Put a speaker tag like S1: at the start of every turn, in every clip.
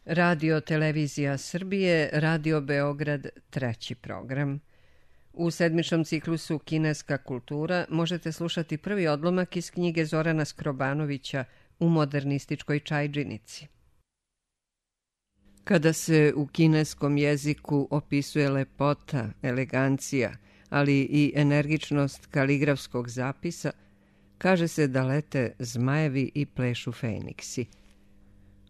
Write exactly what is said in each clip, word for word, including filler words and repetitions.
S1: Radio Televizija Srbije, Radio Beograd, treći program. U sedmičnom ciklusu Kineska kultura možete slušati prvi odlomak iz knjige Zorana Skrobanovića U modernističkoj čajdžinici. Kada se u kineskom jeziku opisuje lepota, elegancija, ali i energičnost kaligrafskog zapisa, kaže se da lete zmajevi i plešu feniksi.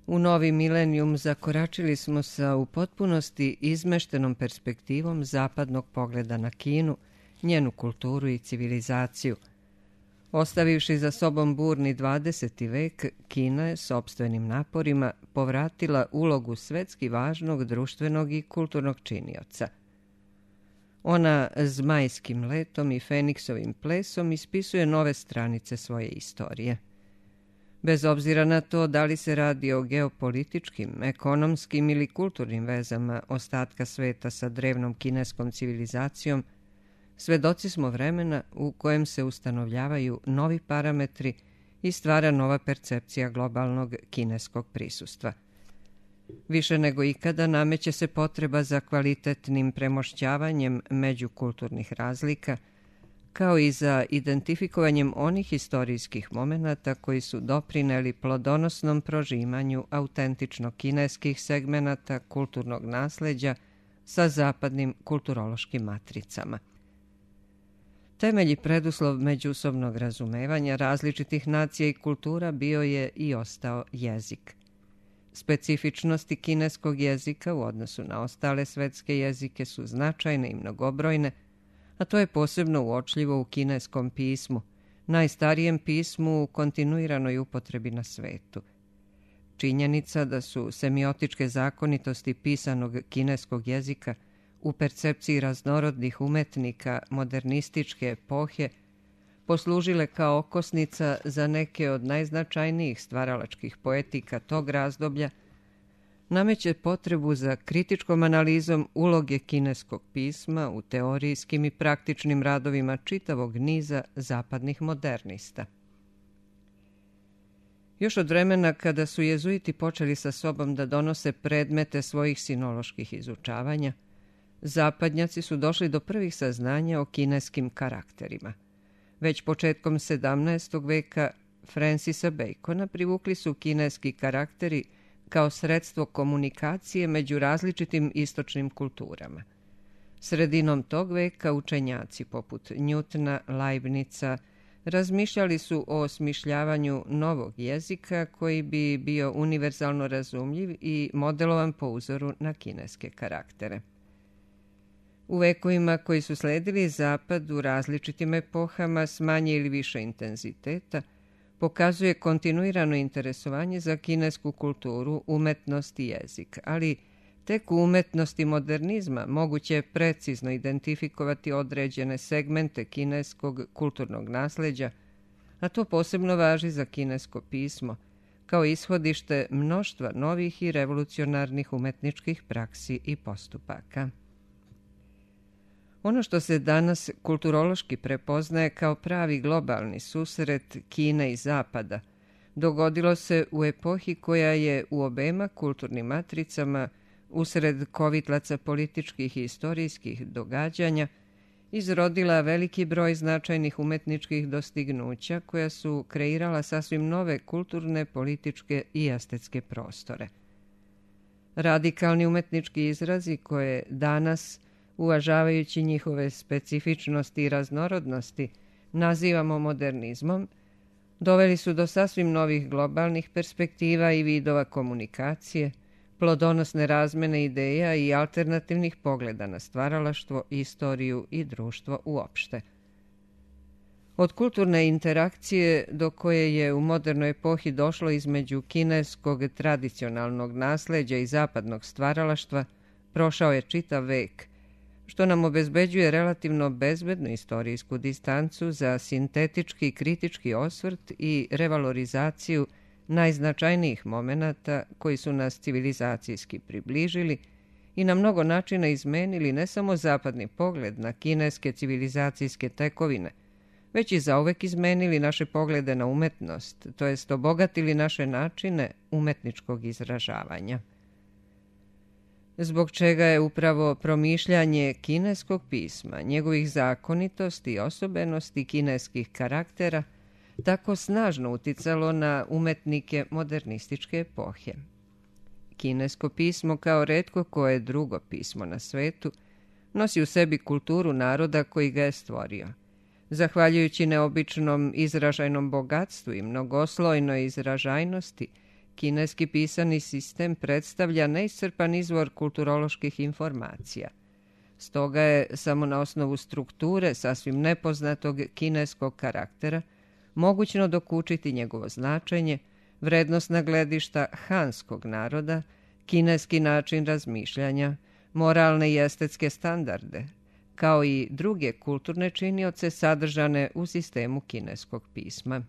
S1: U novi milenijum zakoračili smo sa u potpunosti izmeštenom perspektivom zapadnog pogleda na Kinu, njenu kulturu i civilizaciju. Ostavivši za sobom burni dvadeseti vek, Kina je sopstvenim naporima povratila ulogu svetski važnog društvenog i kulturnog činioca. Ona zmajskim letom i feniksovim plesom ispisuje nove stranice svoje istorije. Bez obzira na to da li se radi o geopolitičkim, ekonomskim ili kulturnim vezama ostatka sveta sa drevnom kineskom civilizacijom, svedoci smo vremena u kojem se ustanovljavaju novi parametri i stvara nova percepcija globalnog kineskog prisustva. Više nego ikada nameće se potreba za kvalitetnim premošćavanjem međukulturnih razlika, kao i za identifikovanjem onih istorijskih momenata koji su doprineli plodonosnom prožimanju autentično kineskih segmenata kulturnog nasleđa sa zapadnim kulturološkim matricama. Temelj i preduslov međusobnog razumevanja različitih nacija i kultura bio je i ostao jezik. Specifičnosti kineskog jezika u odnosu na ostale svetske jezike su značajne i mnogobrojne, a to je posebno uočljivo u kineskom pismu, najstarijem pismu u kontinuiranoj upotrebi na svetu. Činjenica da su semiotičke zakonitosti pisanog kineskog jezika u percepciji raznorodnih umetnika modernističke epohe poslužile kao okosnica za neke od najznačajnijih stvaralačkih poetika tog razdoblja, nameće potrebu za kritičkom analizom uloge kineskog pisma u teorijskim i praktičnim radovima čitavog niza zapadnih modernista. Još od vremena kada su jezuiti počeli sa sobom da donose predmete svojih sinoloških izučavanja, zapadnjaci su došli do prvih saznanja o kineskim karakterima. Već početkom sedamnaestog veka Francisa Bacona privukli su kineski karakteri kao sredstvo komunikacije među različitim istočnim kulturama. Sredinom tog veka učenjaci poput Newtona, Leibnica razmišljali su o osmišljavanju novog jezika koji bi bio univerzalno razumljiv i modelovan po uzoru na kineske karaktere. U vekovima koji su sledili zapad u različitim epohama s manje ili više intenziteta pokazuje kontinuirano interesovanje za kinesku kulturu, umetnost i jezik, ali tek u umetnosti modernizma moguće je precizno identifikovati određene segmente kineskog kulturnog nasleđa, a to posebno važi za kinesko pismo, kao ishodište mnoštva novih i revolucionarnih umetničkih praksi i postupaka. Ono što se danas kulturološki prepoznaje kao pravi globalni susret Kine i Zapada dogodilo se u epohi koja je u obema kulturnim matricama usred kovitlaca političkih i istorijskih događanja izrodila veliki broj značajnih umetničkih dostignuća koja su kreirala sasvim nove kulturne, političke i estetske prostore. Radikalni umetnički izrazi koje danas, uvažavajući njihove specifičnosti i raznorodnosti, nazivamo modernizmom, doveli su do sasvim novih globalnih perspektiva i vidova komunikacije, plodonosne razmene ideja i alternativnih pogleda na stvaralaštvo, istoriju i društvo uopšte. Od kulturne interakcije do koje je u modernoj epohi došlo između kineskog tradicionalnog nasleđa i zapadnog stvaralaštva prošao je čitav vek, što nam obezbeđuje relativno bezbednu istorijsku distancu za sintetički kritički osvrt i revalorizaciju najznačajnijih momenata koji su nas civilizacijski približili i na mnogo načina izmenili ne samo zapadni pogled na kineske civilizacijske tekovine, već i zauvek izmenili naše poglede na umetnost, to jest obogatili naše načine umetničkog izražavanja. zbog čega je upravo promišljanje kineskog pisma, njegovih zakonitosti i osobenosti kineskih karaktera tako snažno uticalo na umetnike modernističke epohe. Kinesko pismo, kao retko koje drugo pismo na svetu, nosi u sebi kulturu naroda koji ga je stvorio. Zahvaljujući neobičnom izražajnom bogatstvu i mnogoslojnoj izražajnosti, kineski pisani sistem predstavlja neiscrpan izvor kulturoloških informacija. Stoga je samo na osnovu strukture sasvim nepoznatog kineskog karaktera mogućno dokučiti njegovo značenje, vrednosna gledišta hanskog naroda, kineski način razmišljanja, moralne i estetske standarde, kao i druge kulturne činioce sadržane u sistemu kineskog pisma.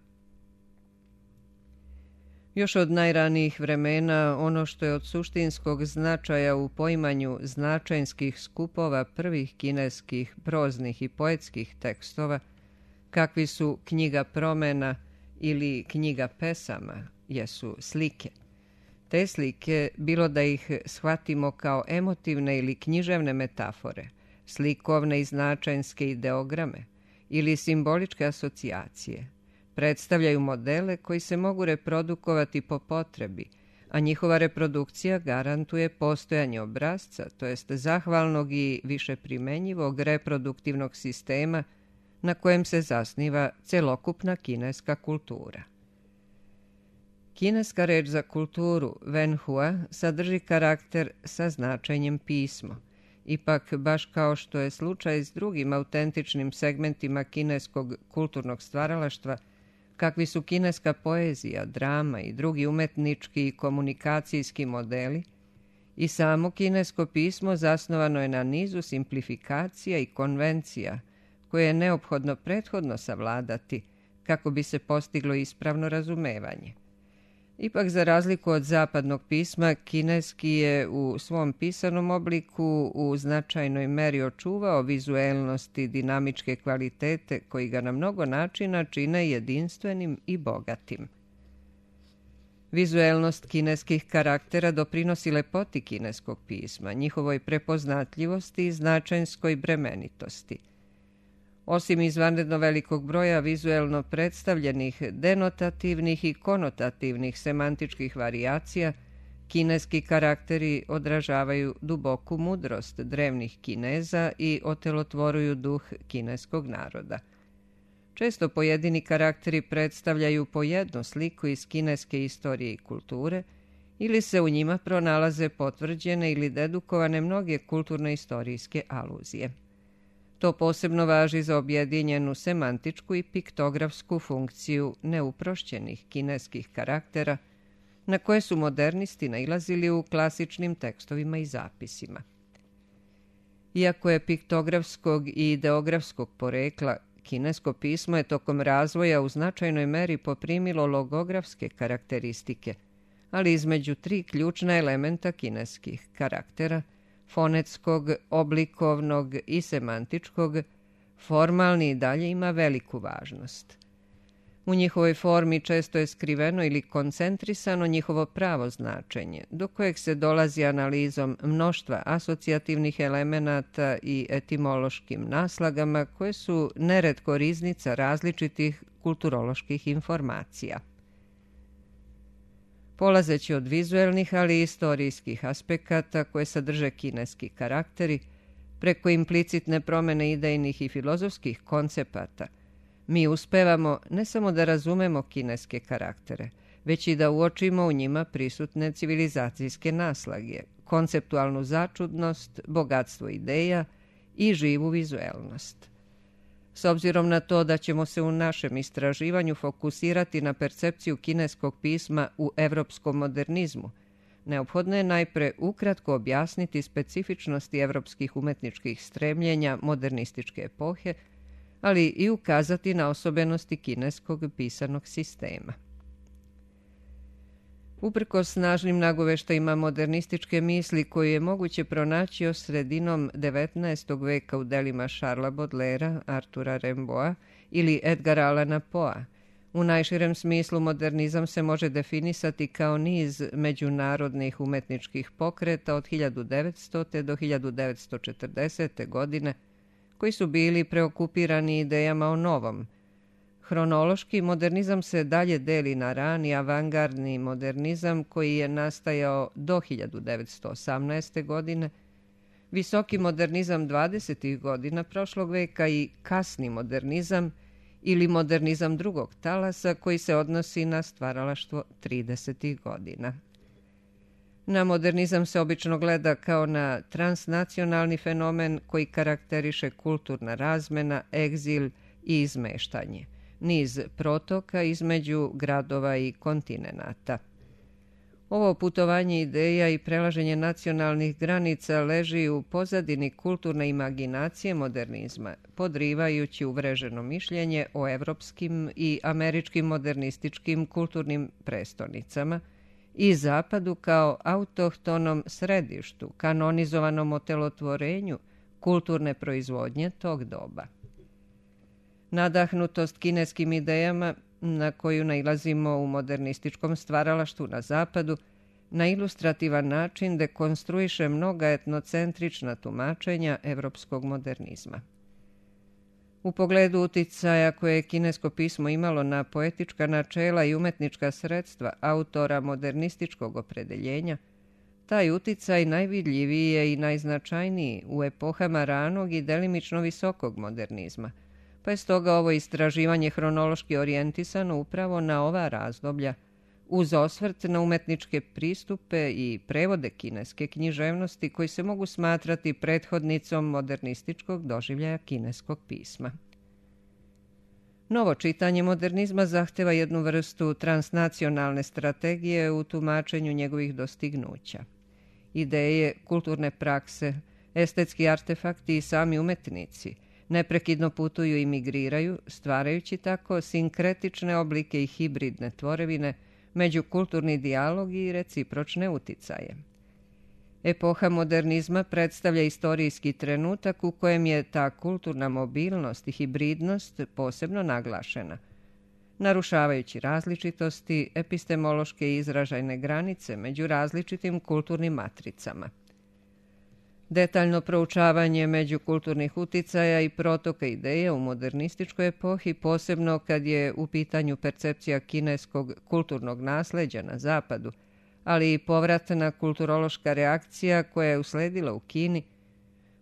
S1: Još od najranijih vremena ono što je od suštinskog značaja u poimanju značajnskih skupova prvih kineskih proznih i poetskih tekstova, kakvi su knjiga promena ili knjiga pesama, jesu slike. Te slike, bilo da ih shvatimo kao emotivne ili književne metafore, slikovne i značajnske ideograme ili simboličke asocijacije, predstavljaju modele koji se mogu reprodukovati po potrebi, a njihova reprodukcija garantuje postojanje obrasca, to jest zahvalnog i više primenjivog reproduktivnog sistema na kojem se zasniva celokupna kineska kultura. Kineska reč za kulturu, wenhua, sadrži karakter sa značenjem pismo. Ipak, baš kao što je slučaj s drugim autentičnim segmentima kineskog kulturnog stvaralaštva, kakvi su kineska poezija, drama i drugi umetnički i komunikacijski modeli, i samo kinesko pismo zasnovano je na nizu simplifikacija i konvencija koje je neophodno prethodno savladati kako bi se postiglo ispravno razumevanje. Ipak, za razliku od zapadnog pisma, kineski je u svom pisanom obliku u značajnoj meri očuvao vizuelnost i dinamičke kvalitete koji ga na mnogo načina čine jedinstvenim i bogatim. Vizuelnost kineskih karaktera doprinosi lepoti kineskog pisma, njihovoj prepoznatljivosti i značajnskoj bremenitosti. Osim izvanredno velikog broja vizuelno predstavljenih denotativnih i konotativnih semantičkih varijacija, kineski karakteri odražavaju duboku mudrost drevnih Kineza i otelotvoruju duh kineskog naroda. Često pojedini karakteri predstavljaju po jednu sliku iz kineske istorije i kulture, ili se u njima pronalaze potvrđene ili dedukovane mnoge kulturno-istorijske aluzije. To posebno važi za objedinjenu semantičku i piktografsku funkciju neuprošćenih kineskih karaktera, na koje su modernisti nailazili u klasičnim tekstovima i zapisima. Iako je piktografskog i ideografskog porekla, kinesko pismo je tokom razvoja u značajnoj meri poprimilo logografske karakteristike, ali između tri ključna elementa kineskih karaktera, fonetskog, oblikovnog i semantičkog, formalni i dalje ima veliku važnost. U njihovoj formi često je skriveno ili koncentrisano njihovo pravo značenje, do kojeg se dolazi analizom mnoštva asocijativnih elemenata i etimološkim naslagama koje su neretko riznica različitih kulturoloških informacija. Polazeći od vizuelnih, ali i istorijskih aspekata koje sadrže kineski karakteri, preko implicitne promene idejnih i filozofskih koncepata, mi uspevamo ne samo da razumemo kineske karaktere, već i da uočimo u njima prisutne civilizacijske naslage, konceptualnu začudnost, bogatstvo ideja i živu vizuelnost. S obzirom na to da ćemo se u našem istraživanju fokusirati na percepciju kineskog pisma u evropskom modernizmu, neophodno je najpre ukratko objasniti specifičnosti evropskih umetničkih stremljenja modernističke epohe, ali i ukazati na osobenosti kineskog pisanog sistema. Uprkos snažnim nagoveštajima modernističke misli koju je moguće pronaći još sredinom devetnaestog veka u delima Charlesa Baudelairea, Artura Rimbaуда ili Edgara Allana Poea, U najširem smislu modernizam se može definisati kao niz međunarodnih umetničkih pokreta od hiljadu devetstote. do hiljadu devetsto četrdesete. godine, koji su bili preokupirani idejama o novom. Hronološki modernizam se dalje deli na rani avangardni modernizam koji je nastajao do hiljadu devetsto osamnaeste. godine, visoki modernizam dvadesetih godina prošlog veka i kasni modernizam ili modernizam drugog talasa koji se odnosi na stvaralaštvo tridesetih godina. Na modernizam se obično gleda kao na transnacionalni fenomen koji karakteriše kulturna razmena, egzil i izmeštanje, niz protoka između gradova i kontinenata. Ovo putovanje ideja i prelaženje nacionalnih granica leži u pozadini kulturne imaginacije modernizma, podrivajući uvreženo mišljenje o evropskim i američkim modernističkim kulturnim prestonicama i Zapadu kao autohtonom središtu, kanonizovanom otelotvorenju kulturne proizvodnje tog doba. Nadahnutost kineskim idejama, na koju nailazimo u modernističkom stvaralaštvu na Zapadu, na ilustrativan način dekonstruiše mnoga etnocentrična tumačenja evropskog modernizma. U pogledu uticaja koje je kinesko pismo imalo na poetička načela i umetnička sredstva autora modernističkog opredeljenja, taj uticaj najvidljiviji je i najznačajniji u epohama ranog i delimično visokog modernizma, pa je stoga ovo istraživanje hronološki orijentisano upravo na ova razdoblja, uz osvrt na umetničke pristupe i prevode kineske književnosti koji se mogu smatrati prethodnicom modernističkog doživljaja kineskog pisma. Novo čitanje modernizma zahteva jednu vrstu transnacionalne strategije u tumačenju njegovih dostignuća. Ideje, kulturne prakse, estetski artefakti i sami umetnici neprekidno putuju i migriraju, stvarajući tako sinkretične oblike i hibridne tvorevine, međukulturni dijalog i recipročne uticaje. Epoha modernizma predstavlja istorijski trenutak u kojem je ta kulturna mobilnost i hibridnost posebno naglašena, narušavajući različitosti, epistemološke i izražajne granice među različitim kulturnim matricama. Detaljno proučavanje međukulturnih uticaja i protoka ideja u modernističkoj epohi, posebno kad je u pitanju percepcija kineskog kulturnog nasleđa na Zapadu, ali i povratna kulturološka reakcija koja je usledila u Kini,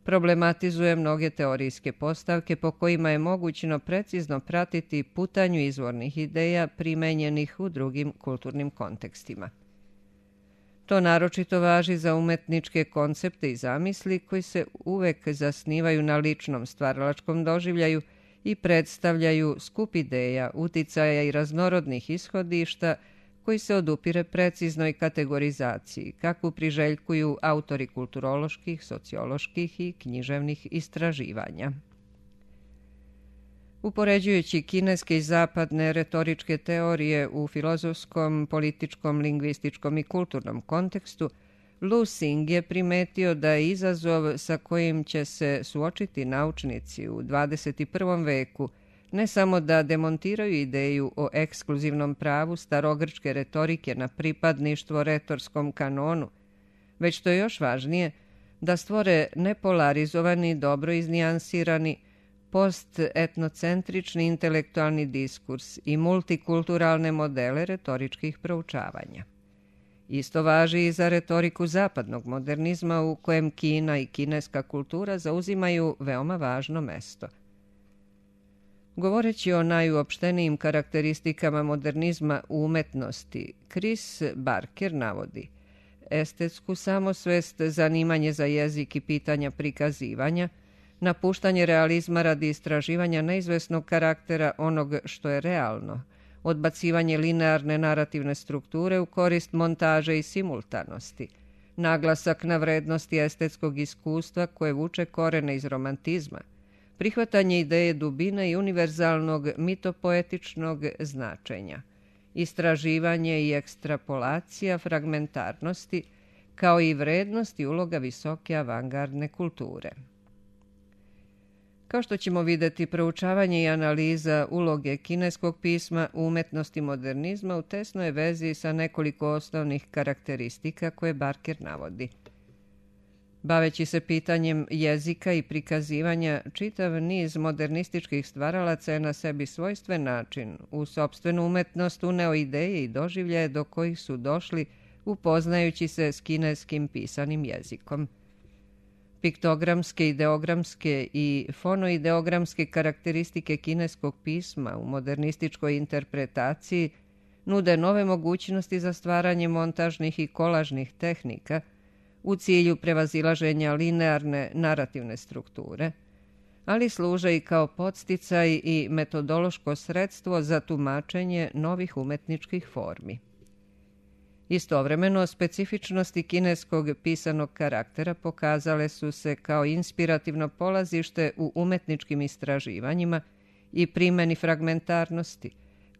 S1: problematizuje mnoge teorijske postavke po kojima je mogućno precizno pratiti putanju izvornih ideja primenjenih u drugim kulturnim kontekstima. To naročito važi za umetničke koncepte i zamisli koji se uvek zasnivaju na ličnom stvaralačkom doživljaju i predstavljaju skup ideja, uticaja i raznorodnih ishodišta koji se odupire preciznoj kategorizaciji, kakvu priželjkuju autori kulturoloških, socioloških i književnih istraživanja. Upoređujući kineske i zapadne retoričke teorije u filozofskom, političkom, lingvističkom i kulturnom kontekstu, Lu Xing je primetio da je izazov sa kojim će se suočiti naučnici u dvadeset prvom veku ne samo da demontiraju ideju o ekskluzivnom pravu starogrčke retorike na pripadništvo retorskom kanonu, već to je još važnije, da stvore nepolarizovani, dobro iznijansirani, post-etnocentrični intelektualni diskurs i multikulturalne modele retoričkih proučavanja. Isto važi i za retoriku zapadnog modernizma u kojem Kina i kineska kultura zauzimaju veoma važno mesto. Govoreći o najuopštenijim karakteristikama modernizma u umetnosti, Chris Barker navodi estetsku samosvest, zanimanje za jezik i pitanja prikazivanja, napuštanje realizma radi istraživanja neizvesnog karaktera onog što je realno, odbacivanje linearne narativne strukture u korist montaže i simultanosti, naglasak na vrednosti estetskog iskustva koje vuče korene iz romantizma, prihvatanje ideje dubine i univerzalnog mitopoetičnog značenja, istraživanje i ekstrapolacija fragmentarnosti, kao i vrednost i uloga visoke avangardne kulture. Kao što ćemo vidjeti, proučavanje i analiza uloge kineskog pisma u umetnosti modernizma u tesnoj vezi sa nekoliko osnovnih karakteristika koje Barker navodi. Baveći se pitanjem jezika i prikazivanja, čitav niz modernističkih stvaralaca je na sebi svojstven način u sopstvenu umetnost uneo ideje i doživljaje do kojih su došli upoznajući se s kineskim pisanim jezikom. Piktogramske, ideogramske i fonoideogramske karakteristike kineskog pisma u modernističkoj interpretaciji nude nove mogućnosti za stvaranje montažnih i kolažnih tehnika u cilju prevazilaženja linearne narativne strukture, ali služe i kao podsticaj i metodološko sredstvo za tumačenje novih umetničkih formi. Istovremeno, specifičnosti kineskog pisanog karaktera pokazale su se kao inspirativno polazište u umetničkim istraživanjima i primjeni fragmentarnosti,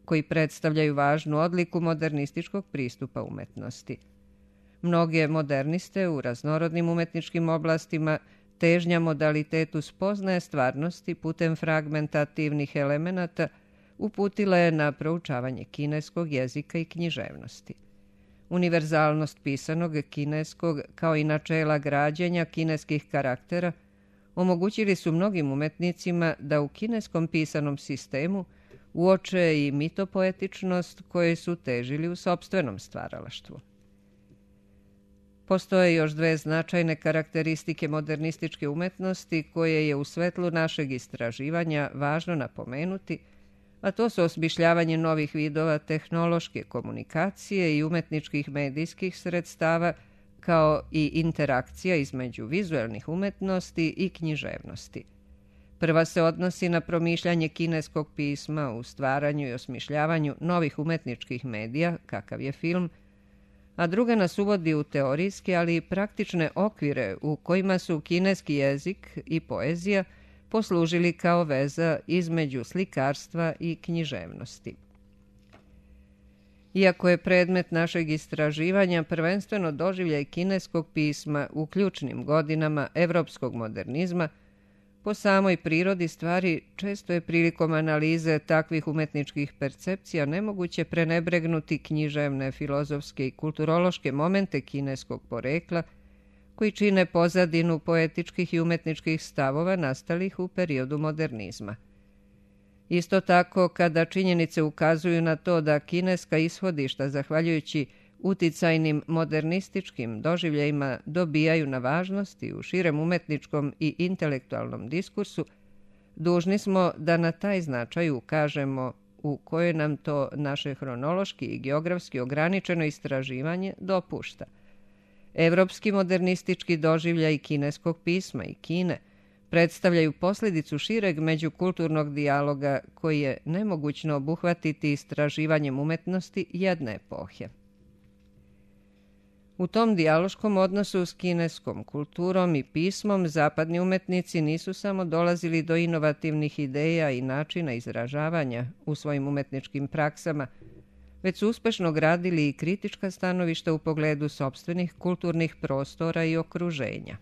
S1: koji predstavljaju važnu odliku modernističkog pristupa umetnosti. Mnoge moderniste u raznorodnim umetničkim oblastima težnja modalitetu spoznaje stvarnosti putem fragmentativnih elemenata uputila je na proučavanje kineskog jezika i književnosti. Univerzalnost pisanog kineskog, kao i načela građenja kineskih karaktera, omogućili su mnogim umetnicima da u kineskom pisanom sistemu uoče i mitopoetičnost koje su težili u sopstvenom stvaralaštvu. Postoje još dve značajne karakteristike modernističke umetnosti koje je u svetlu našeg istraživanja važno napomenuti, a to su osmišljavanje novih vidova tehnološke komunikacije i umetničkih medijskih sredstava, kao i interakcija između vizuelnih umetnosti i književnosti. Prva se odnosi na promišljanje kineskog pisma u stvaranju i osmišljavanju novih umetničkih medija, kakav je film, a druga nas uvodi u teorijske, ali i praktične okvire u kojima su kineski jezik i poezija poslužili kao veza između slikarstva i književnosti. Iako je predmet našeg istraživanja prvenstveno doživljaj kineskog pisma u ključnim godinama evropskog modernizma, po samoj prirodi stvari često je prilikom analize takvih umetničkih percepcija nemoguće prenebregnuti književne, filozofske i kulturološke momente kineskog porekla koji čine pozadinu poetičkih i umetničkih stavova nastalih u periodu modernizma. Isto tako, kada činjenice ukazuju na to da kineska ishodišta, zahvaljujući uticajnim modernističkim doživljajima, dobijaju na važnosti u širem umetničkom i intelektualnom diskursu, dužni smo da na taj značaj ukažemo u kojoj nam to naše hronološki i geografski ograničeno istraživanje dopušta. Evropski modernistički doživljaj kineskog pisma i Kine predstavljaju posljedicu šireg međukulturnog dijaloga koji je nemogućno obuhvatiti istraživanjem umetnosti jedne epohe. U tom dijaloškom odnosu s kineskom kulturom i pismom zapadni umetnici nisu samo dolazili do inovativnih ideja i načina izražavanja u svojim umetničkim praksama, već su uspešno gradili i kritička stanovišta u pogledu sopstvenih kulturnih prostora i okruženja.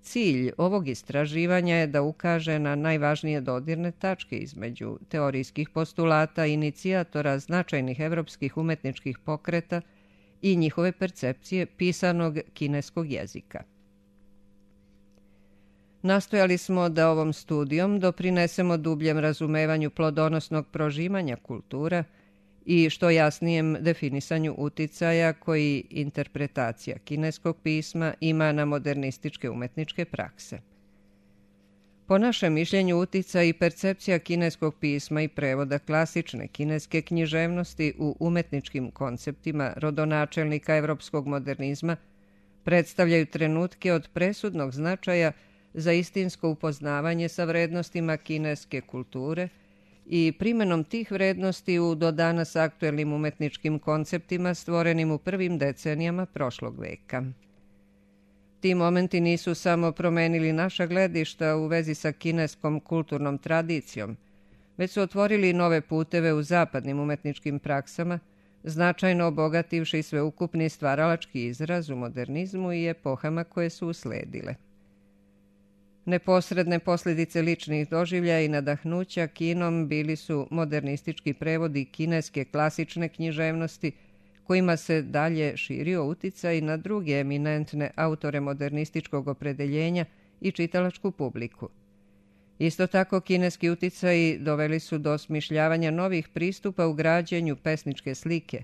S1: Cilj ovog istraživanja je da ukaže na najvažnije dodirne tačke između teorijskih postulata i inicijatora značajnih evropskih umetničkih pokreta i njihove percepcije pisanog kineskog jezika. Nastojali smo da ovom studijom doprinesemo dubljem razumevanju plodonosnog prožimanja kultura i što jasnijem definisanju uticaja koji interpretacija kineskog pisma ima na modernističke umetničke prakse. Po našem mišljenju, uticaj i percepcija kineskog pisma i prevoda klasične kineske književnosti u umetničkim konceptima rodonačelnika evropskog modernizma predstavljaju trenutke od presudnog značaja za istinsko upoznavanje sa vrednostima kineske kulture i primenom tih vrednosti u do danas aktuelnim umetničkim konceptima stvorenim u prvim decenijama prošlog veka. Ti momenti nisu samo promenili naša gledišta u vezi sa kineskom kulturnom tradicijom, već su otvorili nove puteve u zapadnim umetničkim praksama, značajno obogativši sveukupni stvaralački izraz u modernizmu i epohama koje su usledile. Neposredne posljedice ličnih doživljaja i nadahnuća kinom bili su modernistički prevodi kineske klasične književnosti, kojima se dalje širio uticaj na druge eminentne autore modernističkog opredeljenja i čitalačku publiku. Isto tako, kineski uticaji doveli su do osmišljavanja novih pristupa u građenju pesničke slike,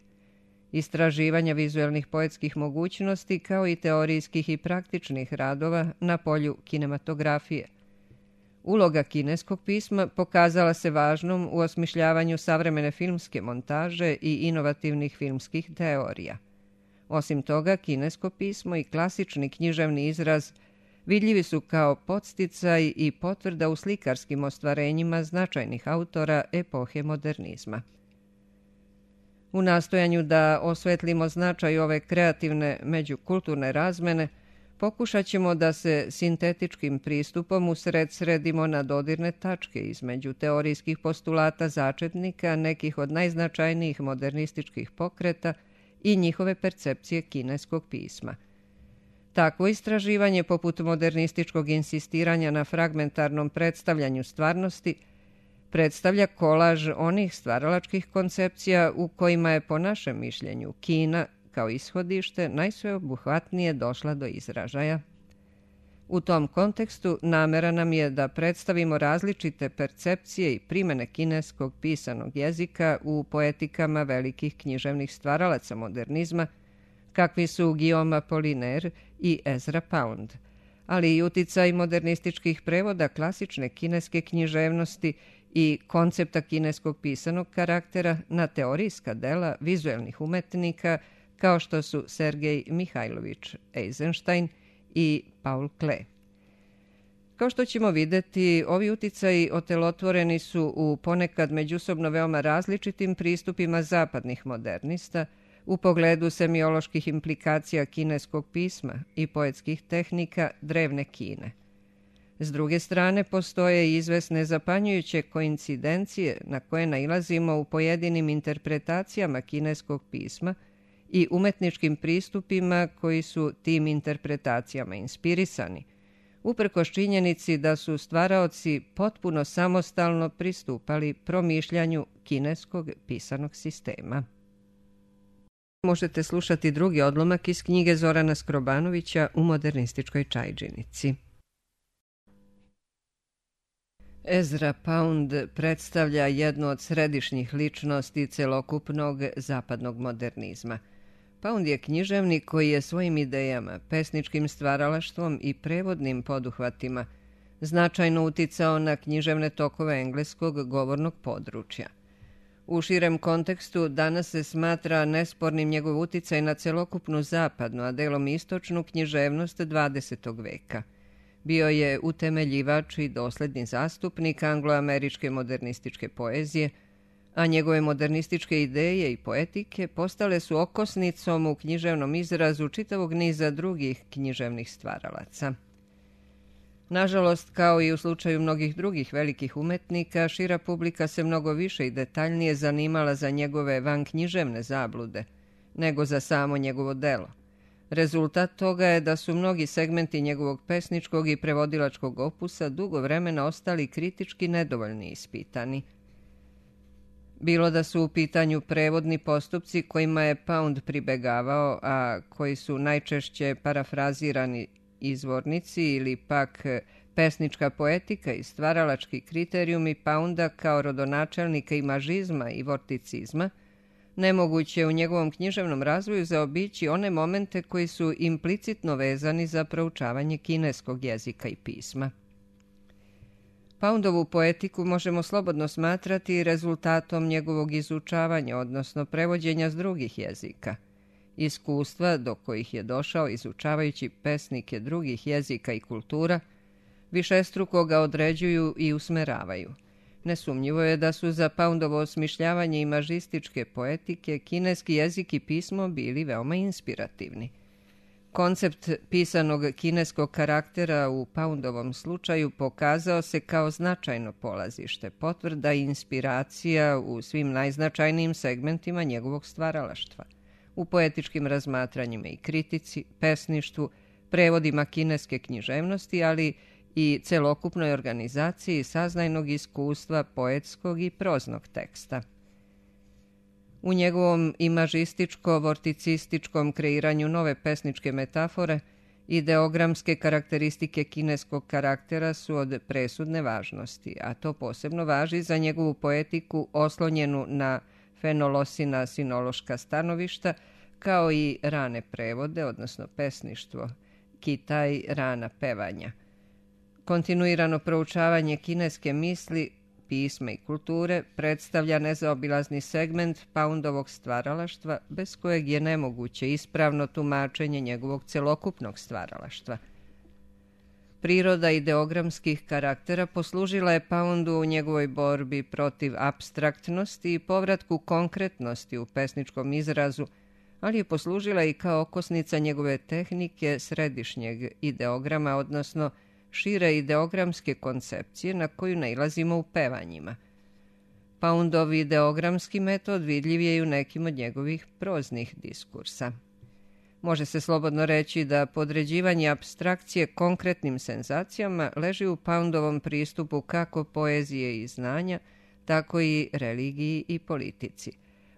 S1: istraživanja vizuelnih poetskih mogućnosti kao i teorijskih i praktičnih radova na polju kinematografije. Uloga kineskog pisma pokazala se važnom u osmišljavanju savremene filmske montaže i inovativnih filmskih teorija. Osim toga, kinesko pismo i klasični književni izraz vidljivi su kao podsticaj i potvrda u slikarskim ostvarenjima značajnih autora epohe modernizma. U nastojanju da osvetlimo značaj ove kreativne međukulturne razmene, pokušat ćemo da se sintetičkim pristupom usred sredimo na dodirne tačke između teorijskih postulata začetnika nekih od najznačajnijih modernističkih pokreta i njihove percepcije kineskog pisma. Takvo istraživanje, poput modernističkog insistiranja na fragmentarnom predstavljanju stvarnosti, predstavlja kolaž onih stvaralačkih koncepcija u kojima je, po našem mišljenju, Kina kao ishodište najsveobuhvatnije došla do izražaja. U tom kontekstu namera nam je da predstavimo različite percepcije i primene kineskog pisanog jezika u poetikama velikih književnih stvaralaca modernizma, kakvi su Guillaume Apollinaire i Ezra Pound, ali i uticaj modernističkih prevoda klasične kineske književnosti i koncepta kineskog pisanog karaktera na teorijska dela vizuelnih umetnika kao što su Sergej Mihajlović Eisenstein i Paul Klee. Kao što ćemo videti, ovi uticaji otelotvoreni su u ponekad međusobno veoma različitim pristupima zapadnih modernista u pogledu semioloških implikacija kineskog pisma i poetskih tehnika drevne Kine. S druge strane, postoje izvesne zapanjujuće koincidencije na koje nailazimo u pojedinim interpretacijama kineskog pisma i umetničkim pristupima koji su tim interpretacijama inspirisani, uprkos činjenici da su stvaraoci potpuno samostalno pristupali promišljanju kineskog pisanog sistema. Možete slušati drugi odlomak iz knjige Zorana Skrobanovića U modernističkoj čajdžinici. Ezra Pound predstavlja jednu od središnjih ličnosti celokupnog zapadnog modernizma. Pound je književnik koji je svojim idejama, pesničkim stvaralaštvom i prevodnim poduhvatima značajno uticao na književne tokove engleskog govornog područja. U širem kontekstu danas se smatra nespornim njegov uticaj na celokupnu zapadnu, a delom istočnu književnost dvadesetog veka. Bio je utemeljivač i dosledni zastupnik angloameričke modernističke poezije, a njegove modernističke ideje i poetike postale su okosnicom u književnom izrazu čitavog niza drugih književnih stvaralaca. Nažalost, kao i u slučaju mnogih drugih velikih umetnika, šira publika se mnogo više i detaljnije zanimala za njegove vanknjiževne zablude, nego za samo njegovo delo. Rezultat toga je da su mnogi segmenti njegovog pesničkog i prevodilačkog opusa dugo vremena ostali kritički nedovoljni ispitani. Bilo da su u pitanju prevodni postupci kojima je Pound pribegavao, a koji su najčešće parafrazirani izvornici ili pak pesnička poetika i stvaralački kriterijumi Pounda kao rodonačelnika imažizma i vorticizma, nemoguće je u njegovom književnom razvoju zaobići one momente koji su implicitno vezani za proučavanje kineskog jezika i pisma. Poundovu poetiku možemo slobodno smatrati rezultatom njegovog izučavanja, odnosno prevođenja s drugih jezika. Iskustva do kojih je došao izučavajući pesnike drugih jezika i kultura, višestruko ga određuju i usmeravaju. Nesumnjivo je da su za Poundovo osmišljavanje imažističke poetike kineski jezik i pismo bili veoma inspirativni. Koncept pisanog kineskog karaktera u Poundovom slučaju pokazao se kao značajno polazište, potvrda i inspiracija u svim najznačajnijim segmentima njegovog stvaralaštva, u poetičkim razmatranjima i kritici, pesništvu, prevodima kineske književnosti, ali i celokupnoj organizaciji saznajnog iskustva poetskog i proznog teksta. U njegovom imažističko-vorticističkom kreiranju nove pesničke metafore, ideogramske karakteristike kineskog karaktera su od presudne važnosti, a to posebno važi za njegovu poetiku oslonjenu na fenolosina sinološka stanovišta, kao i rane prevode, odnosno pesništvo, kitaj, rana pevanja. Kontinuirano proučavanje kineske misli, pisma i kulture predstavlja nezaobilazni segment Poundovog stvaralaštva, bez kojeg je nemoguće ispravno tumačenje njegovog celokupnog stvaralaštva. Priroda ideogramskih karaktera poslužila je Poundu u njegovoj borbi protiv apstraktnosti i povratku konkretnosti u pesničkom izrazu, ali je poslužila i kao okosnica njegove tehnike središnjeg ideograma, odnosno šire ideogramske koncepcije na koju nailazimo u pevanjima. Poundov ideogramski metod vidljiv je i u nekim od njegovih proznih diskursa. Može se slobodno reći da podređivanje apstrakcije konkretnim senzacijama leži u Poundovom pristupu kako poezije i znanja, tako i religiji i politici.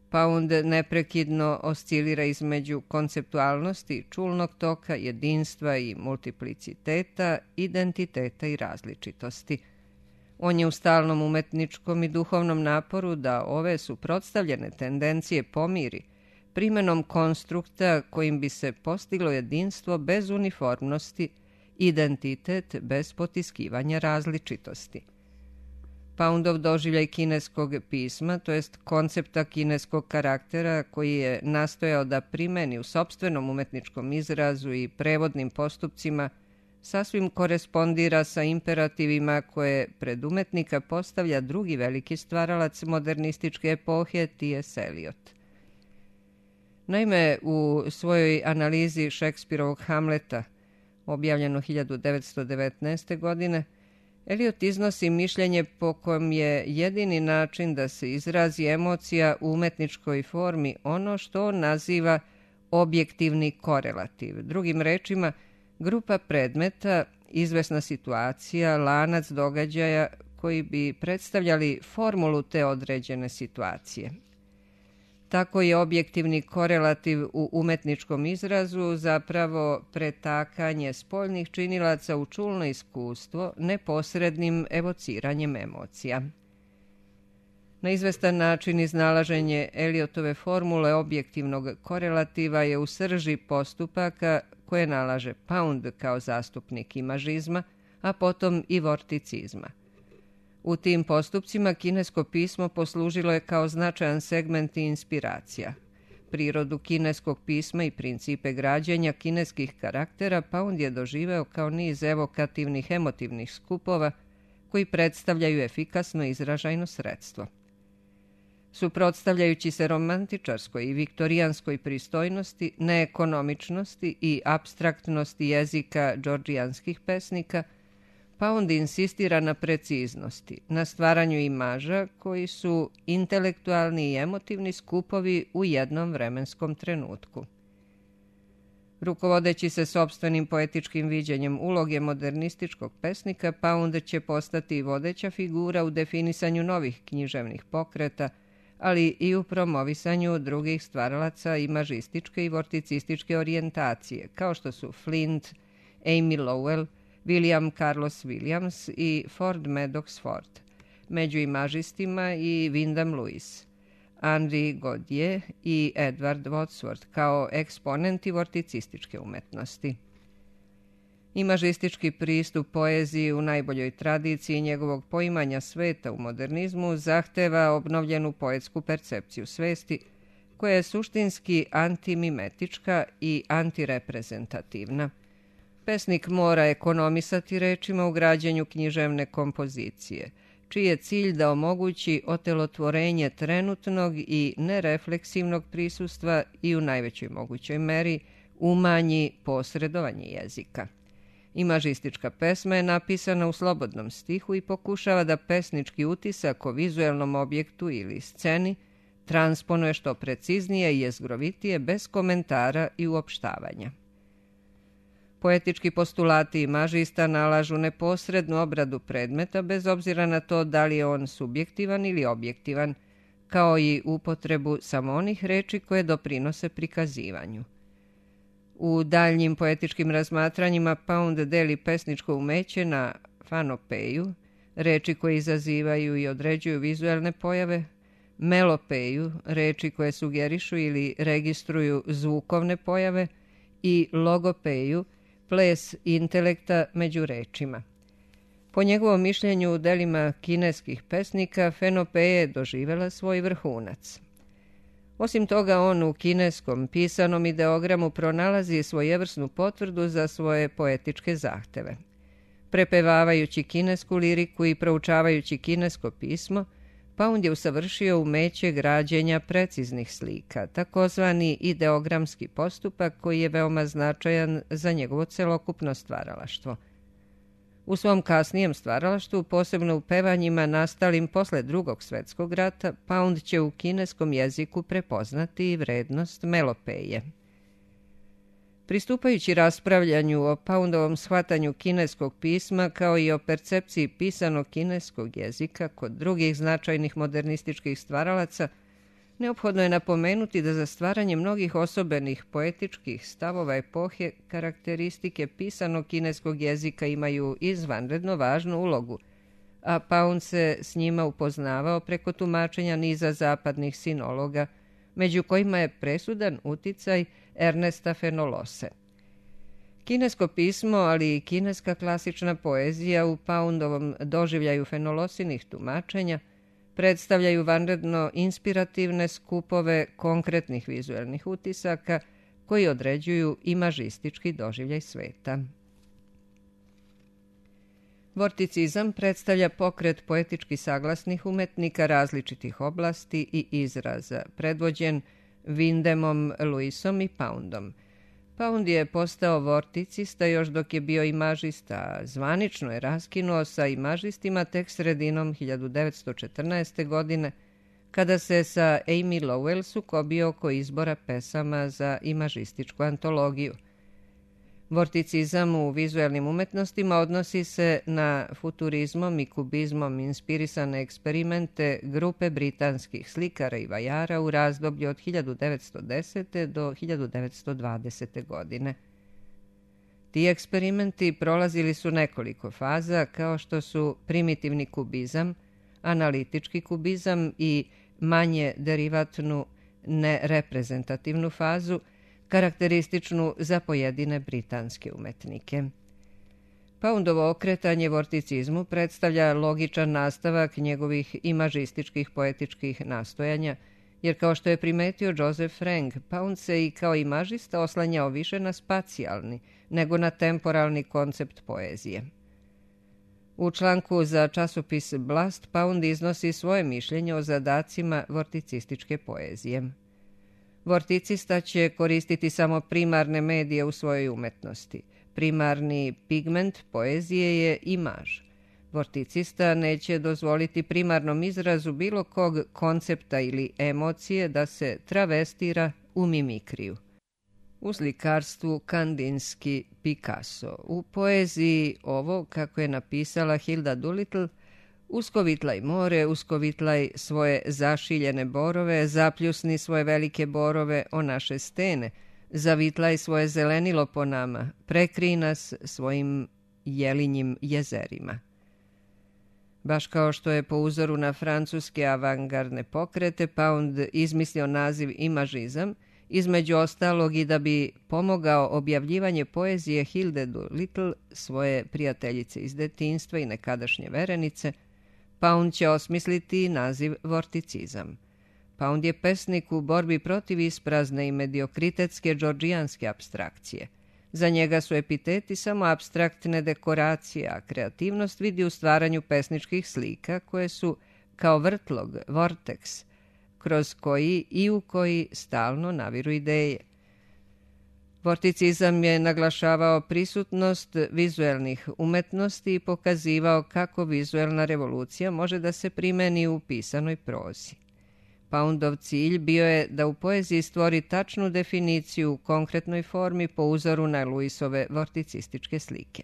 S1: Pound neprekidno oscilira između konceptualnosti, čulnog toka, jedinstva i multipliciteta, identiteta i različitosti. On je u stalnom umetničkom i duhovnom naporu da ove suprotstavljene tendencije pomiri, primenom konstrukta kojim bi se postiglo jedinstvo bez uniformnosti, identitet bez potiskivanja različitosti. Poundov doživljaj kineskog pisma, to jest koncepta kineskog karaktera koji je nastojao da primeni u sopstvenom umetničkom izrazu i prevodnim postupcima, sasvim korespondira sa imperativima koje pred umetnika postavlja drugi veliki stvaralac modernističke epohe T S Eliot. Naime, u svojoj analizi Šekspirovog Hamleta, objavljeno hiljadu devetsto devetnaeste. godine, Eliot iznosi mišljenje po kojem je jedini način da se izrazi emocija u umetničkoj formi ono što on naziva objektivni korelativ. Drugim rečima, grupa predmeta, izvesna situacija, lanac događaja koji bi predstavljali formulu te određene situacije. Tako je objektivni korelativ u umetničkom izrazu zapravo pretakanje spoljnih činilaca u čulno iskustvo neposrednim evociranjem emocija. Na izvestan način iznalaženje Eliotove formule objektivnog korelativa je u srži postupaka koje nalaže Pound kao zastupnik imažizma, a potom i vorticizma. U tim postupcima kinesko pismo poslužilo je kao značajan segment i inspiracija. Prirodu kineskog pisma i principe građenja kineskih karaktera Pound je doživeo kao niz evokativnih emotivnih skupova koji predstavljaju efikasno izražajno sredstvo. Suprotstavljajući se romantičarskoj i viktorijanskoj pristojnosti, neekonomičnosti i apstraktnosti jezika džordžijanskih pesnika, Pound insistira na preciznosti, na stvaranju imaža koji su intelektualni i emotivni skupovi u jednom vremenskom trenutku. Rukovodeći se sopstvenim poetičkim viđenjem uloge modernističkog pesnika, Pound će postati vodeća figura u definisanju novih književnih pokreta, ali i u promovisanju drugih stvaralaca imažističke i vorticističke orijentacije, kao što su Flint, Amy Lowell, William Carlos Williams i Ford Madox Ford, među imažistima i Wyndham Lewis, Henri Godier i Edward Wadsworth kao eksponenti vorticističke umetnosti. Imažistički pristup poeziji u najboljoj tradiciji njegovog poimanja sveta u modernizmu zahteva obnovljenu poetsku percepciju svesti, koja je suštinski antimimetička i antireprezentativna. Pesnik mora ekonomisati rečima u građenju književne kompozicije, čiji je cilj da omogući otelotvorenje trenutnog i nerefleksivnog prisustva i u najvećoj mogućoj meri umanji posredovanje jezika. Imažistička pesma je napisana u slobodnom stihu i pokušava da pesnički utisak o vizuelnom objektu ili sceni transponuje što preciznije i jezgrovitije bez komentara i uopštavanja. Poetički postulati imažista nalažu neposrednu obradu predmeta bez obzira na to da li je on subjektivan ili objektivan, kao i upotrebu samo onih reči koje doprinose prikazivanju. U daljnjim poetičkim razmatranjima Pound deli pesničko umeće na fanopeju, reči koje izazivaju i određuju vizuelne pojave, melopeju, reči koje sugerišu ili registruju zvukovne pojave, i logopeju, ples intelekta među rečima. Po njegovom mišljenju u delima kineskih pesnika fenopeja je doživela svoj vrhunac. Osim toga, on u kineskom pisanom ideogramu pronalazi svojevrsnu potvrdu za svoje poetičke zahteve. Prepevavajući kinesku liriku i proučavajući kinesko pismo, Pound je usavršio umeće građenja preciznih slika, takozvani ideogramski postupak koji je veoma značajan za njegovo celokupno stvaralaštvo. U svom kasnijem stvaralaštvu, posebno u pevanjima nastalim posle Drugog svetskog rata, Pound će u kineskom jeziku prepoznati vrednost melopeje. Pristupajući raspravljanju o Poundovom shvatanju kineskog pisma kao i o percepciji pisanog kineskog jezika kod drugih značajnih modernističkih stvaralaca, neophodno je napomenuti da za stvaranje mnogih osobenih poetičkih stavova epohe karakteristike pisanog kineskog jezika imaju izvanredno važnu ulogu, a Pound se s njima upoznavao preko tumačenja niza zapadnih sinologa, među kojima je presudan uticaj Ernesta Fenolose. Kinesko pismo, ali i kineska klasična poezija u Poundovom doživljaju fenolosinih tumačenja predstavljaju vanredno inspirativne skupove konkretnih vizuelnih utisaka koji određuju imažistički doživljaj sveta. Vorticizam predstavlja pokret poetički saglasnih umetnika različitih oblasti i izraza, predvođen Windemom, Lewisom i Poundom. Pound je postao vorticista još dok je bio imažista, a zvanično je raskinuo sa imažistima tek sredinom hiljadu devetsto četrnaeste. godine, kada se sa Amy Lowell sukobio oko izbora pesama za imažističku antologiju. Vorticizam u vizuelnim umetnostima odnosi se na futurizmom i kubizmom inspirisane eksperimente grupe britanskih slikara i vajara u razdoblju od hiljadu devetsto desete. do hiljadu devetsto dvadesete. godine. Ti eksperimenti prolazili su nekoliko faza, kao što su primitivni kubizam, analitički kubizam i manje derivatnu nereprezentativnu fazu, karakterističnu za pojedine britanske umetnike. Poundovo okretanje vorticizmu predstavlja logičan nastavak njegovih imažističkih poetičkih nastojanja, jer kao što je primetio Joseph Frank, Pound se i kao imažista oslanjao više na spacijalni nego na temporalni koncept poezije. U članku za časopis Blast Pound iznosi svoje mišljenje o zadacima vorticističke poezije. Vorticista će koristiti samo primarne medije u svojoj umetnosti. Primarni pigment poezije je imaž. Vorticista neće dozvoliti primarnom izrazu bilo kog koncepta ili emocije da se travestira u mimikriju. U slikarstvu Kandinski, Picasso. U poeziji ovo, kako je napisala Hilda Doolittle, uskovitlaj more, uskovitlaj svoje zašiljene borove, zapljusni svoje velike borove o naše stene, zavitlaj svoje zelenilo po nama, prekrij nas svojim jelinjim jezerima. Baš kao što je po uzoru na francuske avangardne pokrete Pound izmislio naziv imažizam, između ostalog i da bi pomogao objavljivanje poezije Hilde Doolittle, svoje prijateljice iz detinjstva i nekadašnje verenice, Pound će osmisliti naziv vorticizam. Pound je pesnik u borbi protiv isprazne i mediokritetske džordžijanske apstrakcije. Za njega su epiteti samo apstraktne dekoracije, a kreativnost vidi u stvaranju pesničkih slika koje su kao vrtlog, vorteks, kroz koji i u koji stalno naviru ideje. Vorticizam je naglašavao prisutnost vizuelnih umetnosti i pokazivao kako vizuelna revolucija može da se primeni u pisanoj prozi. Poundov cilj bio je da u poeziji stvori tačnu definiciju u konkretnoj formi po uzoru na Lewisove vorticističke slike.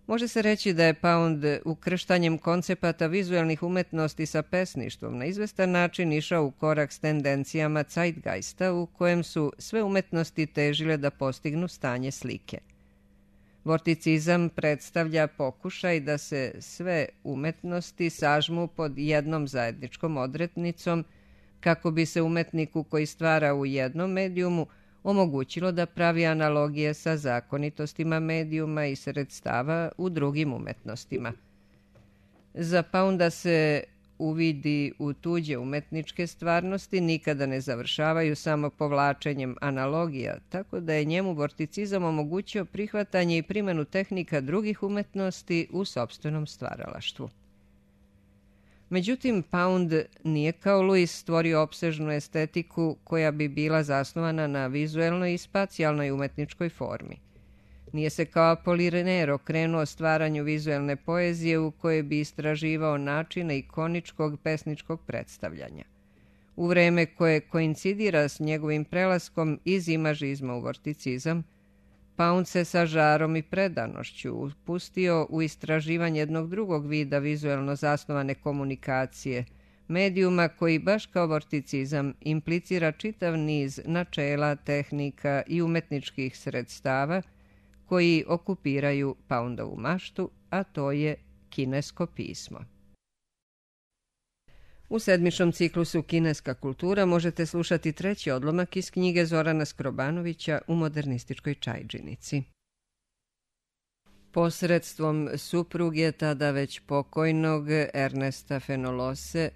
S1: Može se reći da je Pound ukrštanjem koncepata vizuelnih umetnosti sa pesništvom na izvestan način išao u korak s tendencijama Zeitgeista u kojem su sve umetnosti težile da postignu stanje slike. Vorticizam predstavlja pokušaj da se sve umetnosti sažmu pod jednom zajedničkom odrednicom kako bi se umetniku koji stvara u jednom medijumu omogućilo da pravi analogije sa zakonitostima medijuma i sredstava u drugim umetnostima. Za Pounda se uvidi u tuđe umetničke stvarnosti nikada ne završavaju samo povlačenjem analogija, tako da je njemu vorticizam omogućio prihvatanje i primjenu tehnika drugih umetnosti u sopstvenom stvaralaštvu. Međutim, Pound nije kao Lewis stvorio opsežnu estetiku koja bi bila zasnovana na vizuelnoj i spacijalnoj umetničkoj formi. Nije se kao Apollinaire okrenuo stvaranju vizuelne poezije u kojoj bi istraživao načine ikoničkog pesničkog predstavljanja. U vreme koje koincidira s njegovim prelaskom iz imažizma u vorticizam, Pound se sa žarom i predanošću upustio u istraživanje jednog drugog vida vizuelno zasnovane komunikacije, medijuma koji baš kao vorticizam implicira čitav niz načela, tehnika i umetničkih sredstava koji okupiraju Poundovu maštu, a to je kinesko pismo. U sedmičnom ciklusu Kineska kultura možete slušati treći odlomak iz knjige Zorana Skrobanovića U modernističkoj čajdžinici. Posredstvom supruge tada već pokojnog Ernesta Fenolose,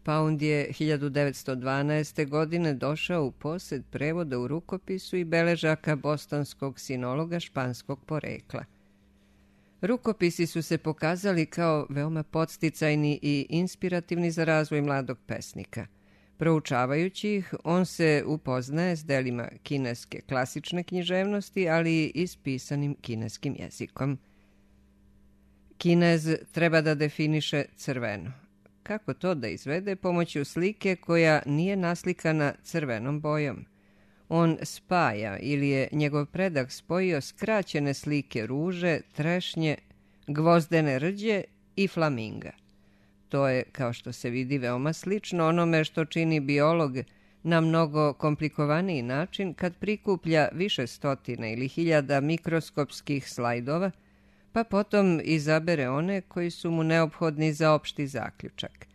S1: Pound je hiljadu devetsto dvanaeste. godine došao u posed prevoda u rukopisu i beležaka bostonskog sinologa španskog porekla. Rukopisi su se pokazali kao veoma podsticajni i inspirativni za razvoj mladog pesnika. Proučavajući ih, on se upoznaje s delima kineske klasične književnosti, ali i s pisanim kineskim jezikom. Kinez treba da definiše crveno. Kako to da izvede pomoću slike koja nije naslikana crvenom bojom? On spaja ili je njegov predak spojio skraćene slike ruže, trešnje, gvozdene rđe i flaminga. To je, kao što se vidi, veoma slično onome što čini biolog na mnogo komplikovaniji način kad prikuplja više stotina ili hiljada mikroskopskih slajdova, pa potom izabere one koji su mu neophodni za opšti zaključak.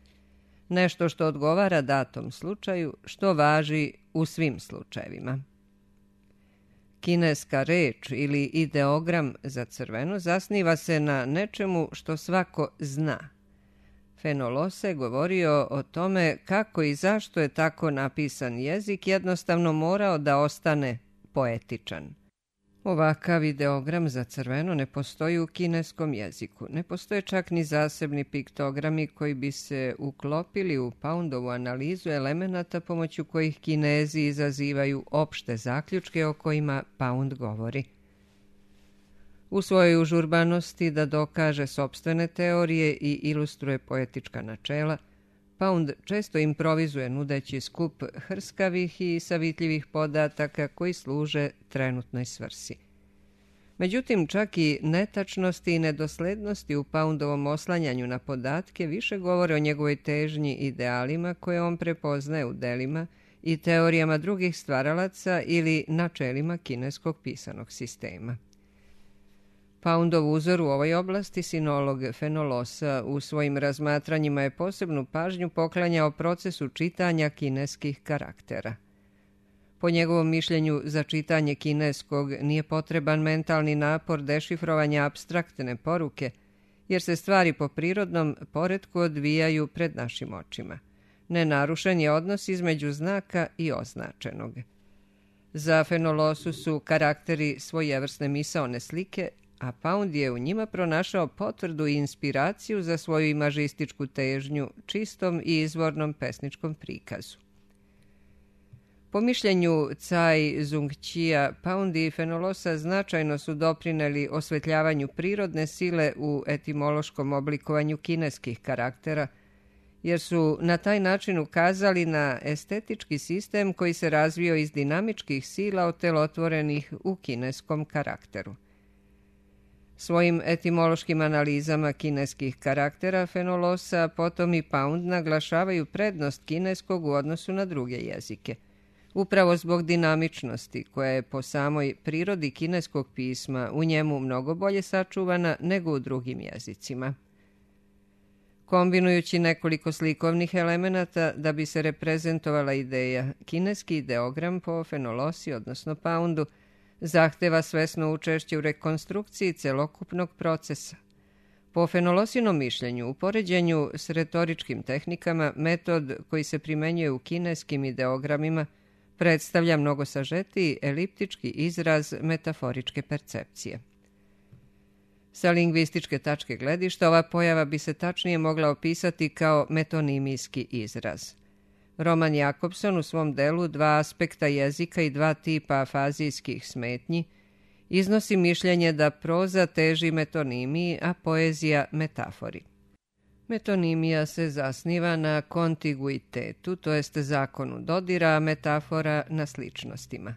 S1: Nešto što odgovara datom slučaju, što važi u svim slučajevima. Kineska reč ili ideogram za crveno zasniva se na nečemu što svako zna. Fenolose je govorio o tome kako i zašto je tako napisan jezik jednostavno morao da ostane poetičan. Ovakav ideogram za crveno ne postoji u kineskom jeziku. Ne postoje čak ni zasebni piktogrami koji bi se uklopili u Poundovu analizu elemenata pomoću kojih Kinezi izazivaju opšte zaključke o kojima Pound govori. U svojoj užurbanosti da dokaže sopstvene teorije i ilustruje poetička načela, Pound često improvizuje nudeći skup hrskavih i savitljivih podataka koji služe trenutnoj svrsi. Međutim, čak i netačnosti i nedoslednosti u Poundovom oslanjanju na podatke više govore o njegovoj težnji idealima koje on prepoznaje u delima i teorijama drugih stvaralaca ili načelima kineskog pisanog sistema. Poundov uzor u ovoj oblasti, sinolog Fenolosa, u svojim razmatranjima je posebnu pažnju poklanjao procesu čitanja kineskih karaktera. Po njegovom mišljenju, za čitanje kineskog nije potreban mentalni napor dešifrovanja apstraktne poruke, jer se stvari po prirodnom poretku odvijaju pred našim očima. Nenarušen je odnos između znaka i označenog. Za Fenolosu su karakteri svojevrsne misaone slike, a Pound je u njima pronašao potvrdu i inspiraciju za svoju imažističku težnju, čistom i izvornom pesničkom prikazu. Po mišljenju Cai Zongqija, Pound i Fenolosa značajno su doprineli osvetljavanju prirodne sile u etimološkom oblikovanju kineskih karaktera jer su na taj način ukazali na estetički sistem koji se razvio iz dinamičkih sila otelotvorenih u kineskom karakteru. Svojim etimološkim analizama kineskih karaktera Fenolosa potom i Pound naglašavaju prednost kineskog u odnosu na druge jezike, upravo zbog dinamičnosti koja je po samoj prirodi kineskog pisma u njemu mnogo bolje sačuvana nego u drugim jezicima. Kombinujući nekoliko slikovnih elemenata da bi se reprezentovala ideja, kineski ideogram po Fenolosi, odnosno Poundu, zahteva svesno učešće u rekonstrukciji celokupnog procesa. Po Fenolosinom mišljenju, u poređenju s retoričkim tehnikama, metod koji se primenjuje u kineskim ideogramima predstavlja mnogo sažetiji eliptički izraz metaforičke percepcije. Sa lingvističke tačke gledišta, ova pojava bi se tačnije mogla opisati kao metonimijski izraz. Roman Jakobson u svom delu Dva aspekta jezika i dva tipa afazijskih smetnji iznosi mišljenje da proza teži metonimiji, a poezija metafori. Metonimija se zasniva na kontiguitetu, to jest zakonu dodira, a metafora na sličnostima.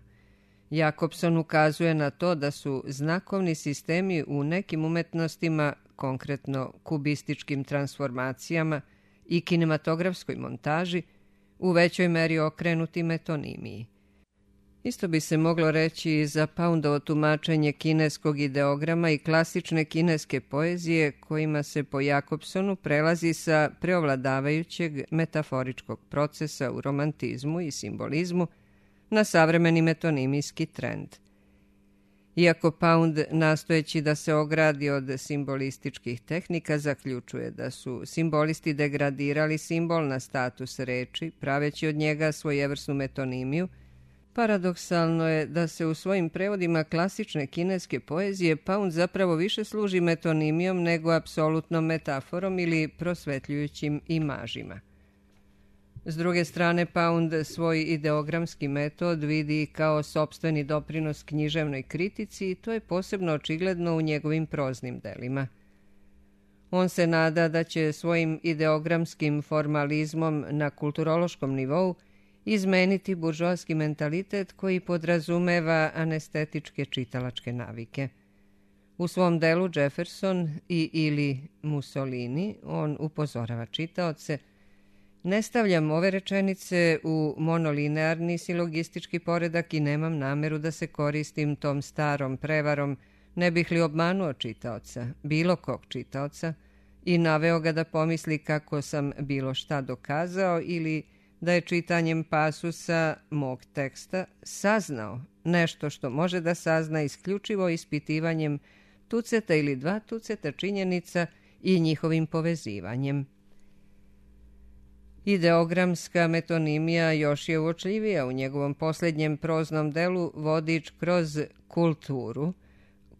S1: Jakobson ukazuje na to da su znakovni sistemi u nekim umetnostima, konkretno kubističkim transformacijama i kinematografskoj montaži, u većoj meri okrenuti metonimiji. Isto bi se moglo reći i za Poundovo tumačenje kineskog ideograma i klasične kineske poezije, kojima se po Jakobsonu prelazi sa preovladavajućeg metaforičkog procesa u romantizmu i simbolizmu na savremeni metonimijski trend. Iako Pound, nastojeći da se ogradi od simbolističkih tehnika, zaključuje da su simbolisti degradirali simbol na status reči, praveći od njega svojevrsnu metonimiju, paradoksalno je da se u svojim prevodima klasične kineske poezije Pound zapravo više služi metonimijom nego apsolutnom metaforom ili prosvetljujućim imažima. S druge strane, Pound svoj ideogramski metod vidi kao sopstveni doprinos književnoj kritici i to je posebno očigledno u njegovim proznim delima. On se nada da će svojim ideogramskim formalizmom na kulturološkom nivou izmeniti buržoaski mentalitet koji podrazumeva anestetičke čitalačke navike. U svom delu Jefferson i ili Mussolini on upozorava čitaoce: ne stavljam ove rečenice u monolinearni silogistički poredak i nemam nameru da se koristim tom starom prevarom, ne bih li obmanuo čitaoca, bilo kog čitaoca, i naveo ga da pomisli kako sam bilo šta dokazao ili da je čitanjem pasusa mog teksta saznao nešto što može da sazna isključivo ispitivanjem tuceta ili dva tuceta činjenica i njihovim povezivanjem. Ideogramska metonimija još je uočljivija u njegovom posljednjem proznom delu Vodič kroz kulturu,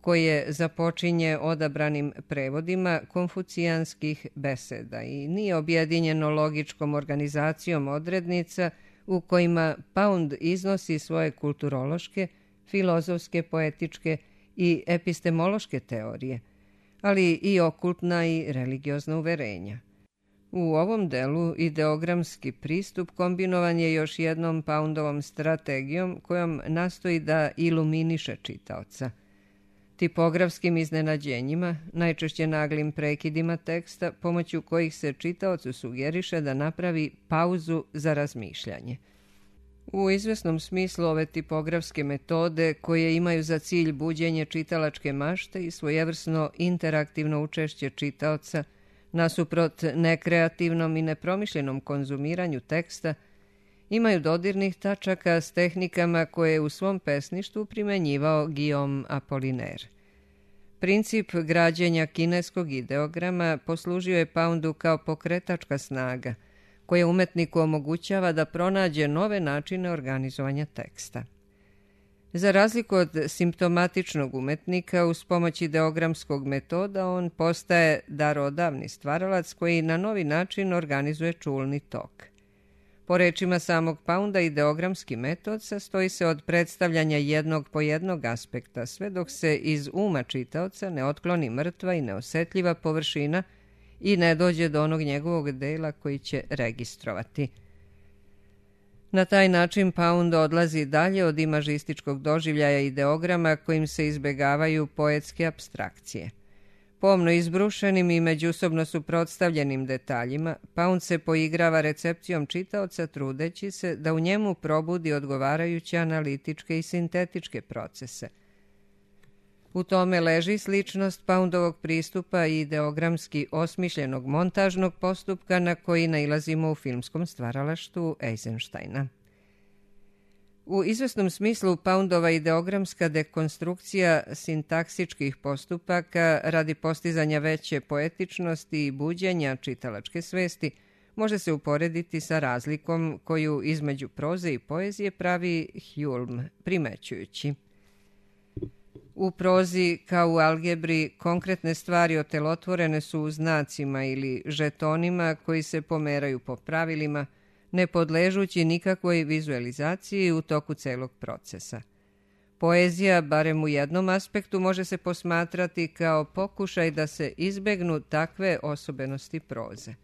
S1: koje započinje odabranim prevodima konfucijanskih beseda i nije objedinjeno logičkom organizacijom odrednica u kojima Pound iznosi svoje kulturološke, filozofske, poetičke i epistemološke teorije, ali i okultna i religiozna uverenja. U ovom delu ideogramski pristup kombinovan je još jednom Poundovom strategijom kojom nastoji da iluminiše čitaoca. Tipografskim iznenađenjima, najčešće naglim prekidima teksta, pomoću kojih se čitaocu sugeriše da napravi pauzu za razmišljanje. U izvesnom smislu ove tipografske metode, koje imaju za cilj buđenje čitalačke mašte i svojevrsno interaktivno učešće čitaoca, nasuprot nekreativnom i nepromišljenom konzumiranju teksta, imaju dodirnih tačaka s tehnikama koje je u svom pesništvu primenjivao Guillaume Apollinaire. Princip građenja kineskog ideograma poslužio je Poundu kao pokretačka snaga, koja umetniku omogućava da pronađe nove načine organizovanja teksta. Za razliku od simptomatičnog umetnika, uz pomoć ideogramskog metoda on postaje darodavni stvaralac koji na novi način organizuje čulni tok. Po rečima samog Pounda, ideogramski metod sastoji se od predstavljanja jednog po jednog aspekta, sve dok se iz uma čitaoca ne otkloni mrtva i neosetljiva površina i ne dođe do onog njegovog dela koji će registrovati. Na taj način Pound odlazi dalje od imažističkog doživljaja ideograma kojim se izbegavaju poetske apstrakcije. Pomno izbrušenim i međusobno suprotstavljenim detaljima, Pound se poigrava recepcijom čitaoca trudeći se da u njemu probudi odgovarajuće analitičke i sintetičke procese. U tome leži sličnost Poundovog pristupa i ideogramski osmišljenog montažnog postupka na koji nailazimo u filmskom stvaralaštvu Eisensteina. U izvesnom smislu Poundova ideogramska dekonstrukcija sintaksičkih postupaka radi postizanja veće poetičnosti i buđenja čitalačke svesti može se uporediti sa razlikom koju između proze i poezije pravi Hulme, primećujući: u prozi, kao u algebri, konkretne stvari otelotvorene su u znacima ili žetonima koji se pomeraju po pravilima, ne podležući nikakvoj vizualizaciji u toku celog procesa. Poezija, barem u jednom aspektu, može se posmatrati kao pokušaj da se izbegnu takve osobenosti proze.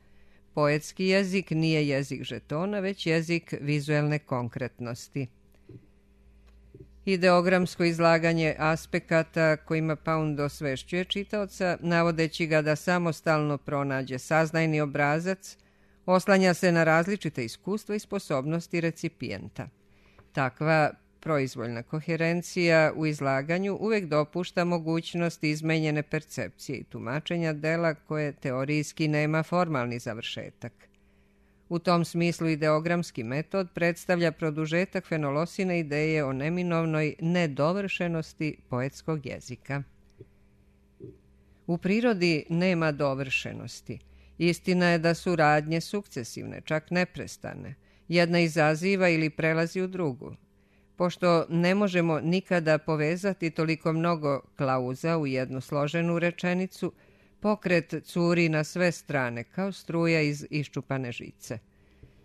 S1: Poetski jezik nije jezik žetona, već jezik vizuelne konkretnosti. Ideogramsko izlaganje aspekata kojima Pound osvešćuje čitaoca, navodeći ga da samostalno pronađe saznajni obrazac, oslanja se na različite iskustva i sposobnosti recipijenta. Takva proizvoljna koherencija u izlaganju uvek dopušta mogućnost izmenjene percepcije i tumačenja dela koje teorijski nema formalni završetak. U tom smislu ideogramski metod predstavlja produžetak Fenolosine ideje o neminovnoj nedovršenosti poetskog jezika. U prirodi nema dovršenosti. Istina je da su radnje sukcesivne, čak neprestane. Jedna izaziva ili prelazi u drugu. Pošto ne možemo nikada povezati toliko mnogo klauza u jednu složenu rečenicu, pokret curi na sve strane kao struja iz iščupane žice.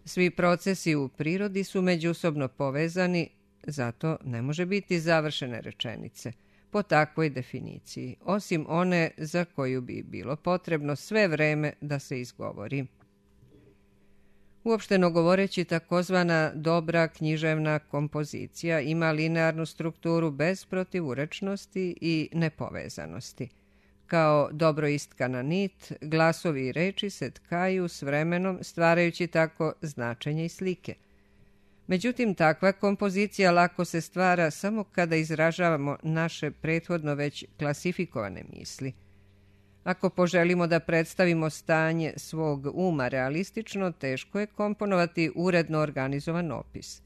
S1: Svi procesi u prirodi su međusobno povezani, zato ne može biti završene rečenice po takvoj definiciji, osim one za koju bi bilo potrebno sve vreme da se izgovori. Uopšteno govoreći, takozvana dobra književna kompozicija ima linearnu strukturu bez protivurečnosti i nepovezanosti. Kao dobro istkana nit, glasovi i reči se tkaju s vremenom, stvarajući tako značenje i slike. Međutim, takva kompozicija lako se stvara samo kada izražavamo naše prethodno već klasifikovane misli. Ako poželimo da predstavimo stanje svog uma realistično, teško je komponovati uredno organizovan opis.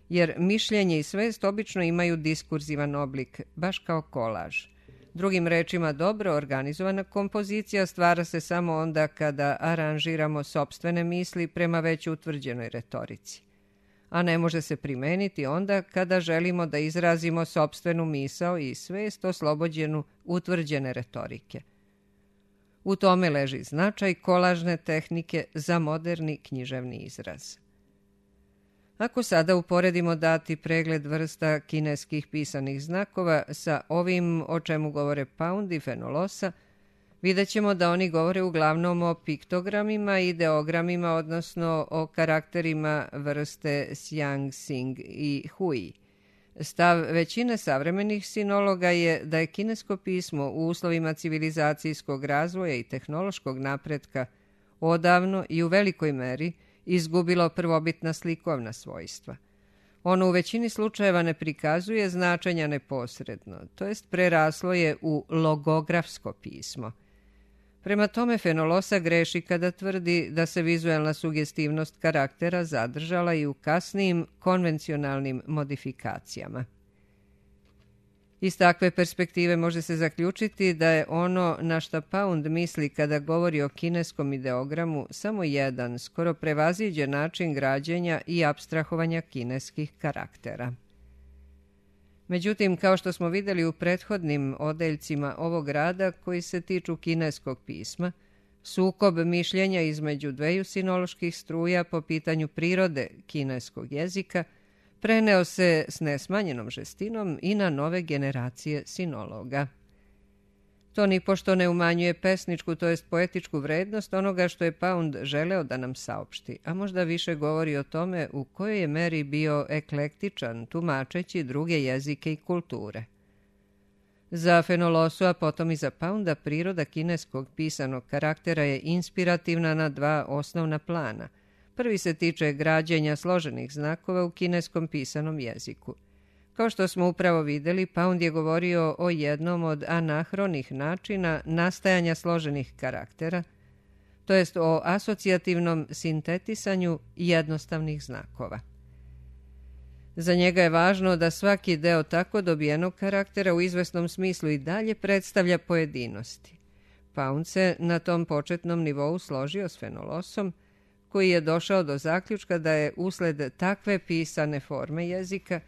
S1: Jer mišljenje i svest obično imaju diskurzivan oblik, baš kao kolaž. Drugim rečima, dobro organizovana kompozicija stvara se samo onda kada aranžiramo sopstvene misli prema već utvrđenoj retorici. A ne može se primeniti onda kada želimo da izrazimo sopstvenu misao i svest oslobođenu utvrđene retorike. U tome leži značaj kolažne tehnike za moderni književni izraz. Ako sada uporedimo dati pregled vrsta kineskih pisanih znakova sa ovim o čemu govore Pound i Fenolosa, vidjet ćemo da oni govore uglavnom o piktogramima i ideogramima, odnosno o karakterima vrste Xiang, Xing i Hui. Stav većine savremenih sinologa je da je kinesko pismo u uslovima civilizacijskog razvoja i tehnološkog napretka odavno i u velikoj meri izgubilo prvobitna slikovna svojstva. Ono u većini slučajeva ne prikazuje značenja neposredno, to jest preraslo je u logografsko pismo. Prema tome, Fenolosa greši kada tvrdi da se vizuelna sugestivnost karaktera zadržala i u kasnijim konvencionalnim modifikacijama. Iz takve perspektive može se zaključiti da je ono na šta Pound misli kada govori o kineskom ideogramu samo jedan, skoro prevaziđen način građenja i apstrahovanja kineskih karaktera. Međutim, kao što smo vidjeli u prethodnim odeljcima ovog rada koji se tiču kineskog pisma, sukob mišljenja između dveju sinoloških struja po pitanju prirode kineskog jezika preneo se s nesmanjenom žestinom i na nove generacije sinologa. To nipošto ne umanjuje pesničku, to jest poetičku vrednost onoga što je Pound želeo da nam saopšti, a možda više govori o tome u kojoj je meri bio eklektičan, tumačeći druge jezike i kulture. Za Fenolosu, a potom i za Pounda, priroda kineskog pisanog karaktera je inspirativna na dva osnovna plana. Prvi se tiče građenja složenih znakova u kineskom pisanom jeziku. Kao što smo upravo vidjeli, Pound je govorio o jednom od anahronih načina nastajanja složenih karaktera, to jest o asocijativnom sintetisanju jednostavnih znakova. Za njega je važno da svaki deo tako dobijenog karaktera u izvesnom smislu i dalje predstavlja pojedinosti. Pound se na tom početnom nivou složio s Fenolosom, koji je došao do zaključka da je usled takve pisane forme jezika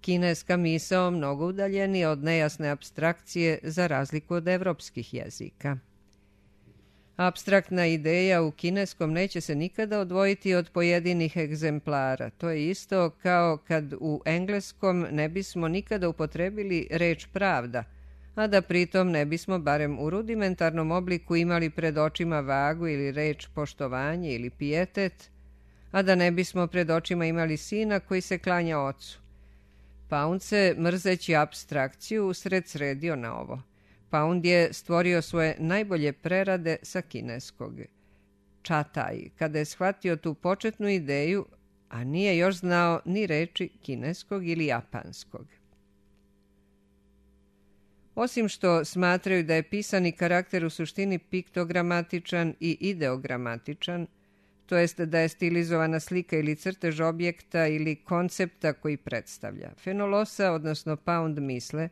S1: kineska misao mnogo udaljenija od nejasne apstrakcije za razliku od evropskih jezika. Apstraktna ideja u kineskom neće se nikada odvojiti od pojedinih egzemplara. To je isto kao kad u engleskom ne bismo nikada upotrebili reč pravda, a da pritom ne bismo barem u rudimentarnom obliku imali pred očima vagu ili reč poštovanje ili pijetet, a da ne bismo pred očima imali sina koji se klanja ocu. Pound se, mrzeći apstrakciju, usred sredio na ovo. Pound je stvorio svoje najbolje prerade sa kineskog. Čataj, kada je shvatio tu početnu ideju, a nije još znao ni reči kineskog ili japanskog. Osim što smatraju da je pisani karakter u suštini piktogramatičan i ideogramatičan, to jest da je stilizovana slika ili crtež objekta ili koncepta koji predstavlja. Fenolosa, odnosno Pound, misle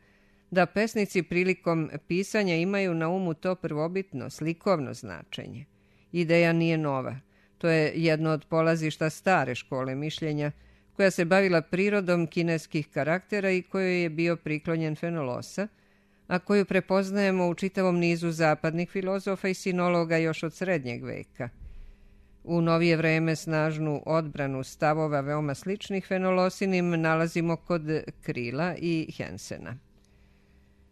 S1: da pesnici prilikom pisanja imaju na umu to prvobitno, slikovno značenje. Ideja nije nova. To je jedno od polazišta stare škole mišljenja, koja se bavila prirodom kineskih karaktera i kojoj je bio priklonjen Fenolosa, a koju prepoznajemo u čitavom nizu zapadnih filozofa i sinologa još od srednjeg veka. U novije vreme snažnu odbranu stavova veoma sličnih Fenolosinim nalazimo kod Krila i Hensena.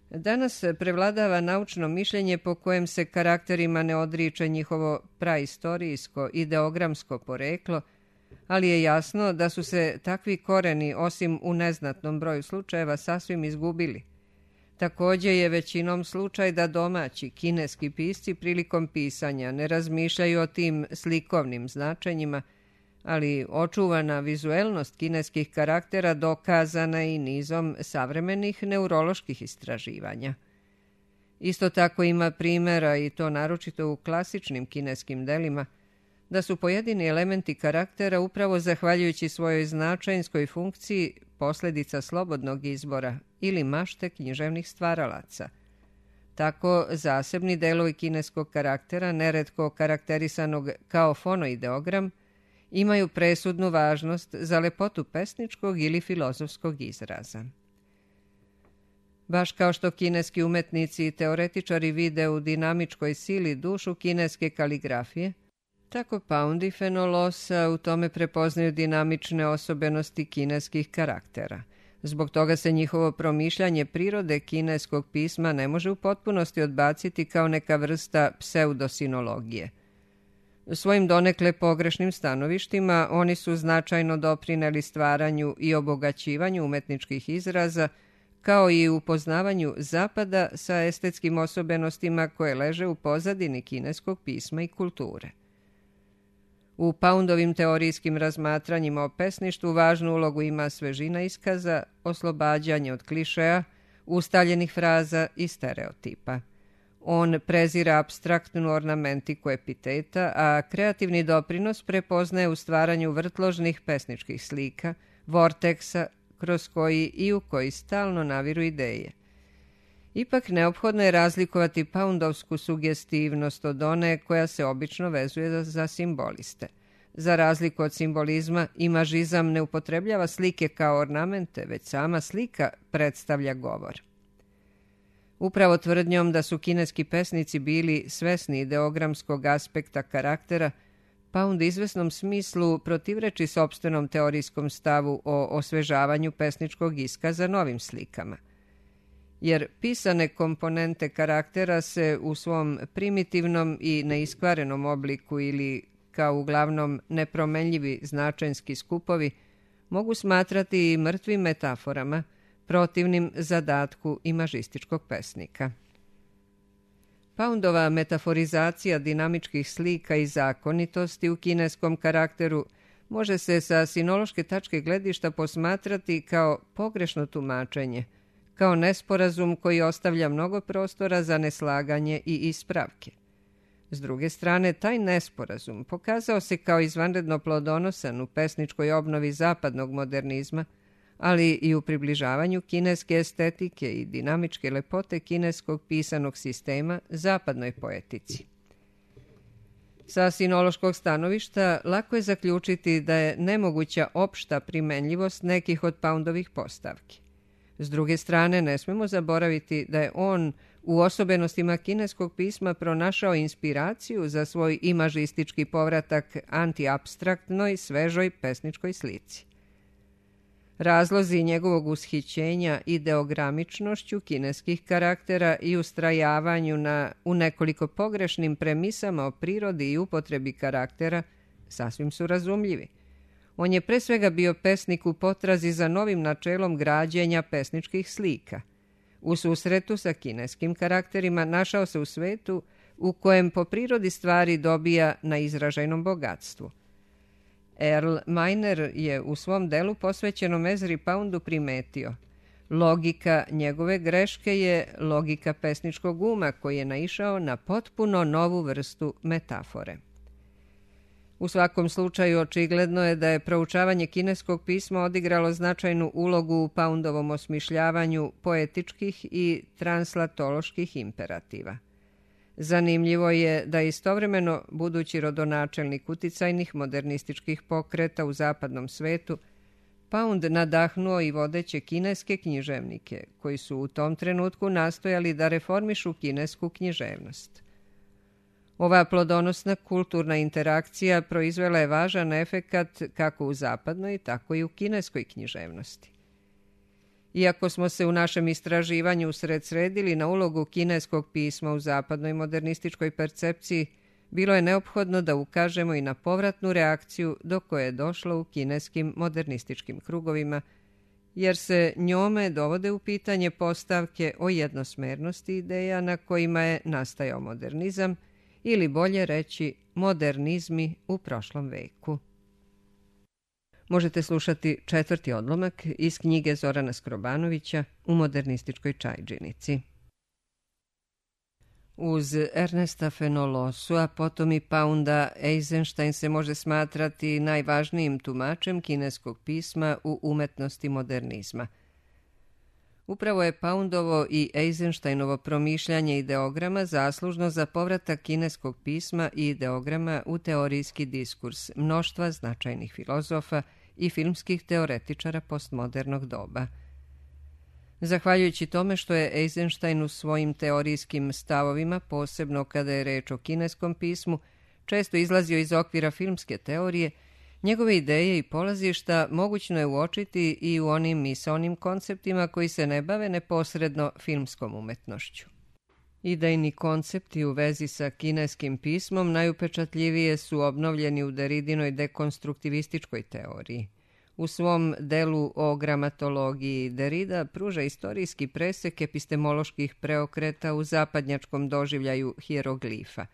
S1: Danas prevladava naučno mišljenje po kojem se karakterima ne odriče njihovo praistorijsko, ideogramsko poreklo, ali je jasno da su se takvi koreni, osim u neznatnom broju slučajeva, sasvim izgubili. Također je većinom slučaj da domaći kineski pisci prilikom pisanja ne razmišljaju o tim slikovnim značenjima, ali očuvana vizuelnost kineskih karaktera dokazana i nizom savremenih neuroloških istraživanja. Isto tako ima primjera, i to naročito u klasičnim kineskim delima, da su pojedini elementi karaktera upravo zahvaljujući svojoj značajnskoj funkciji posljedica slobodnog izbora ili mašte književnih stvaralaca. Tako zasebni delovi kineskog karaktera, neretko karakterisanog kao fonoideogram, imaju presudnu važnost za lepotu pesničkog ili filozofskog izraza. Baš kao što kineski umetnici i teoretičari vide u dinamičkoj sili dušu kineske kaligrafije, tako Pound i Fenolosa u tome prepoznaju dinamične osobenosti kineskih karaktera. Zbog toga se njihovo promišljanje prirode kineskog pisma ne može u potpunosti odbaciti kao neka vrsta pseudosinologije. Svojim donekle pogrešnim stanovištima oni su značajno doprineli stvaranju i obogaćivanju umetničkih izraza, kao i upoznavanju Zapada sa estetskim osobenostima koje leže u pozadini kineskog pisma i kulture. U Poundovim teorijskim razmatranjima o pesništvu važnu ulogu ima svežina iskaza, oslobađanje od klišeja, ustaljenih fraza i stereotipa. On prezira apstraktnu ornamentiku epiteta, a kreativni doprinos prepoznaje u stvaranju vrtložnih pesničkih slika, vorteksa, kroz koji i u koji stalno naviru ideje. Ipak neophodno je razlikovati Poundovsku sugestivnost od one koja se obično vezuje za, za simboliste. Za razliku od simbolizma, imažizam ne upotrebljava slike kao ornamente, već sama slika predstavlja govor. Upravo tvrdnjom da su kineski pesnici bili svesni ideogramskog aspekta karaktera, Pound izvesnom smislu protivreči sopstvenom teorijskom stavu o osvežavanju pesničkog iskaza novim slikama. jer pisane komponente karaktera se u svom primitivnom i neiskvarenom obliku ili kao uglavnom nepromenljivi značajnski skupovi mogu smatrati i mrtvim metaforama, protivnim zadatku imažističkog pesnika. Poundova metaforizacija dinamičkih slika i zakonitosti u kineskom karakteru može se sa sinološke tačke gledišta posmatrati kao pogrešno tumačenje, kao nesporazum koji ostavlja mnogo prostora za neslaganje i ispravke. S druge strane, taj nesporazum pokazao se kao izvanredno plodonosan u pesničkoj obnovi zapadnog modernizma, ali i u približavanju kineske estetike i dinamičke lepote kineskog pisanog sistema zapadnoj poetici. Sa sinološkog stanovišta lako je zaključiti da je nemoguća opšta primenljivost nekih od Poundovih postavki. S druge strane, ne smemo zaboraviti da je on u osobenostima kineskog pisma pronašao inspiraciju za svoj imažistički povratak antiapstraktnoj, svežoj pesničkoj slici. Razlozi njegovog ushićenja ideogramičnošću kineskih karaktera i ustrajavanju na u nekoliko pogrešnim premisama o prirodi i upotrebi karaktera sasvim su razumljivi. On je pre svega bio pesnik u potrazi za novim načelom građenja pesničkih slika. U susretu sa kineskim karakterima našao se u svetu u kojem po prirodi stvari dobija na izražajnom bogatstvu. Earl Miner je u svom delu posvećenom Ezri Poundu primetio: logika njegove greške je logika pesničkog uma koji je naišao na potpuno novu vrstu metafore. U svakom slučaju očigledno je da je proučavanje kineskog pisma odigralo značajnu ulogu u Poundovom osmišljavanju poetičkih i translatoloških imperativa. Zanimljivo je da istovremeno budući rodonačelnik uticajnih modernističkih pokreta u zapadnom svetu, Pound nadahnuo i vodeće kineske književnike, koji su u tom trenutku nastojali da reformišu kinesku književnost. Ova plodonosna kulturna interakcija proizvela je važan efekat kako u zapadnoj, tako i u kineskoj književnosti. Iako smo se u našem istraživanju usredsredili na ulogu kineskog pisma u zapadnoj modernističkoj percepciji, bilo je neophodno da ukažemo i na povratnu reakciju do koje je došlo u kineskim modernističkim krugovima, jer se njome dovode u pitanje postavke o jednosmernosti ideja na kojima je nastajao modernizam, ili bolje reći modernizmi u prošlom veku. Možete slušati četvrti odlomak iz knjige Zorana Skrobanovića U modernističkoj čajdžinici. Uz Ernesta Fenolosua, a potom i Pounda, Eisenstein se može smatrati najvažnijim tumačem kineskog pisma u umetnosti modernizma. Upravo je Poundovo i Eisensteinovo promišljanje ideograma zaslužno za povratak kineskog pisma i ideograma u teorijski diskurs mnoštva značajnih filozofa i filmskih teoretičara postmodernog doba. Zahvaljujući tome što je Eisenstein u svojim teorijskim stavovima, posebno kada je reč o kineskom pismu, često izlazio iz okvira filmske teorije, njegove ideje i polazišta mogućno je uočiti i u onim misaonim konceptima koji se ne bave neposredno filmskom umetnošću. Idejni koncepti u vezi sa kineskim pismom najupečatljivije su obnovljeni u Deridinoj dekonstruktivističkoj teoriji. U svom delu o gramatologiji Derrida pruža istorijski presek epistemoloških preokreta u zapadnjačkom doživljaju hieroglifa.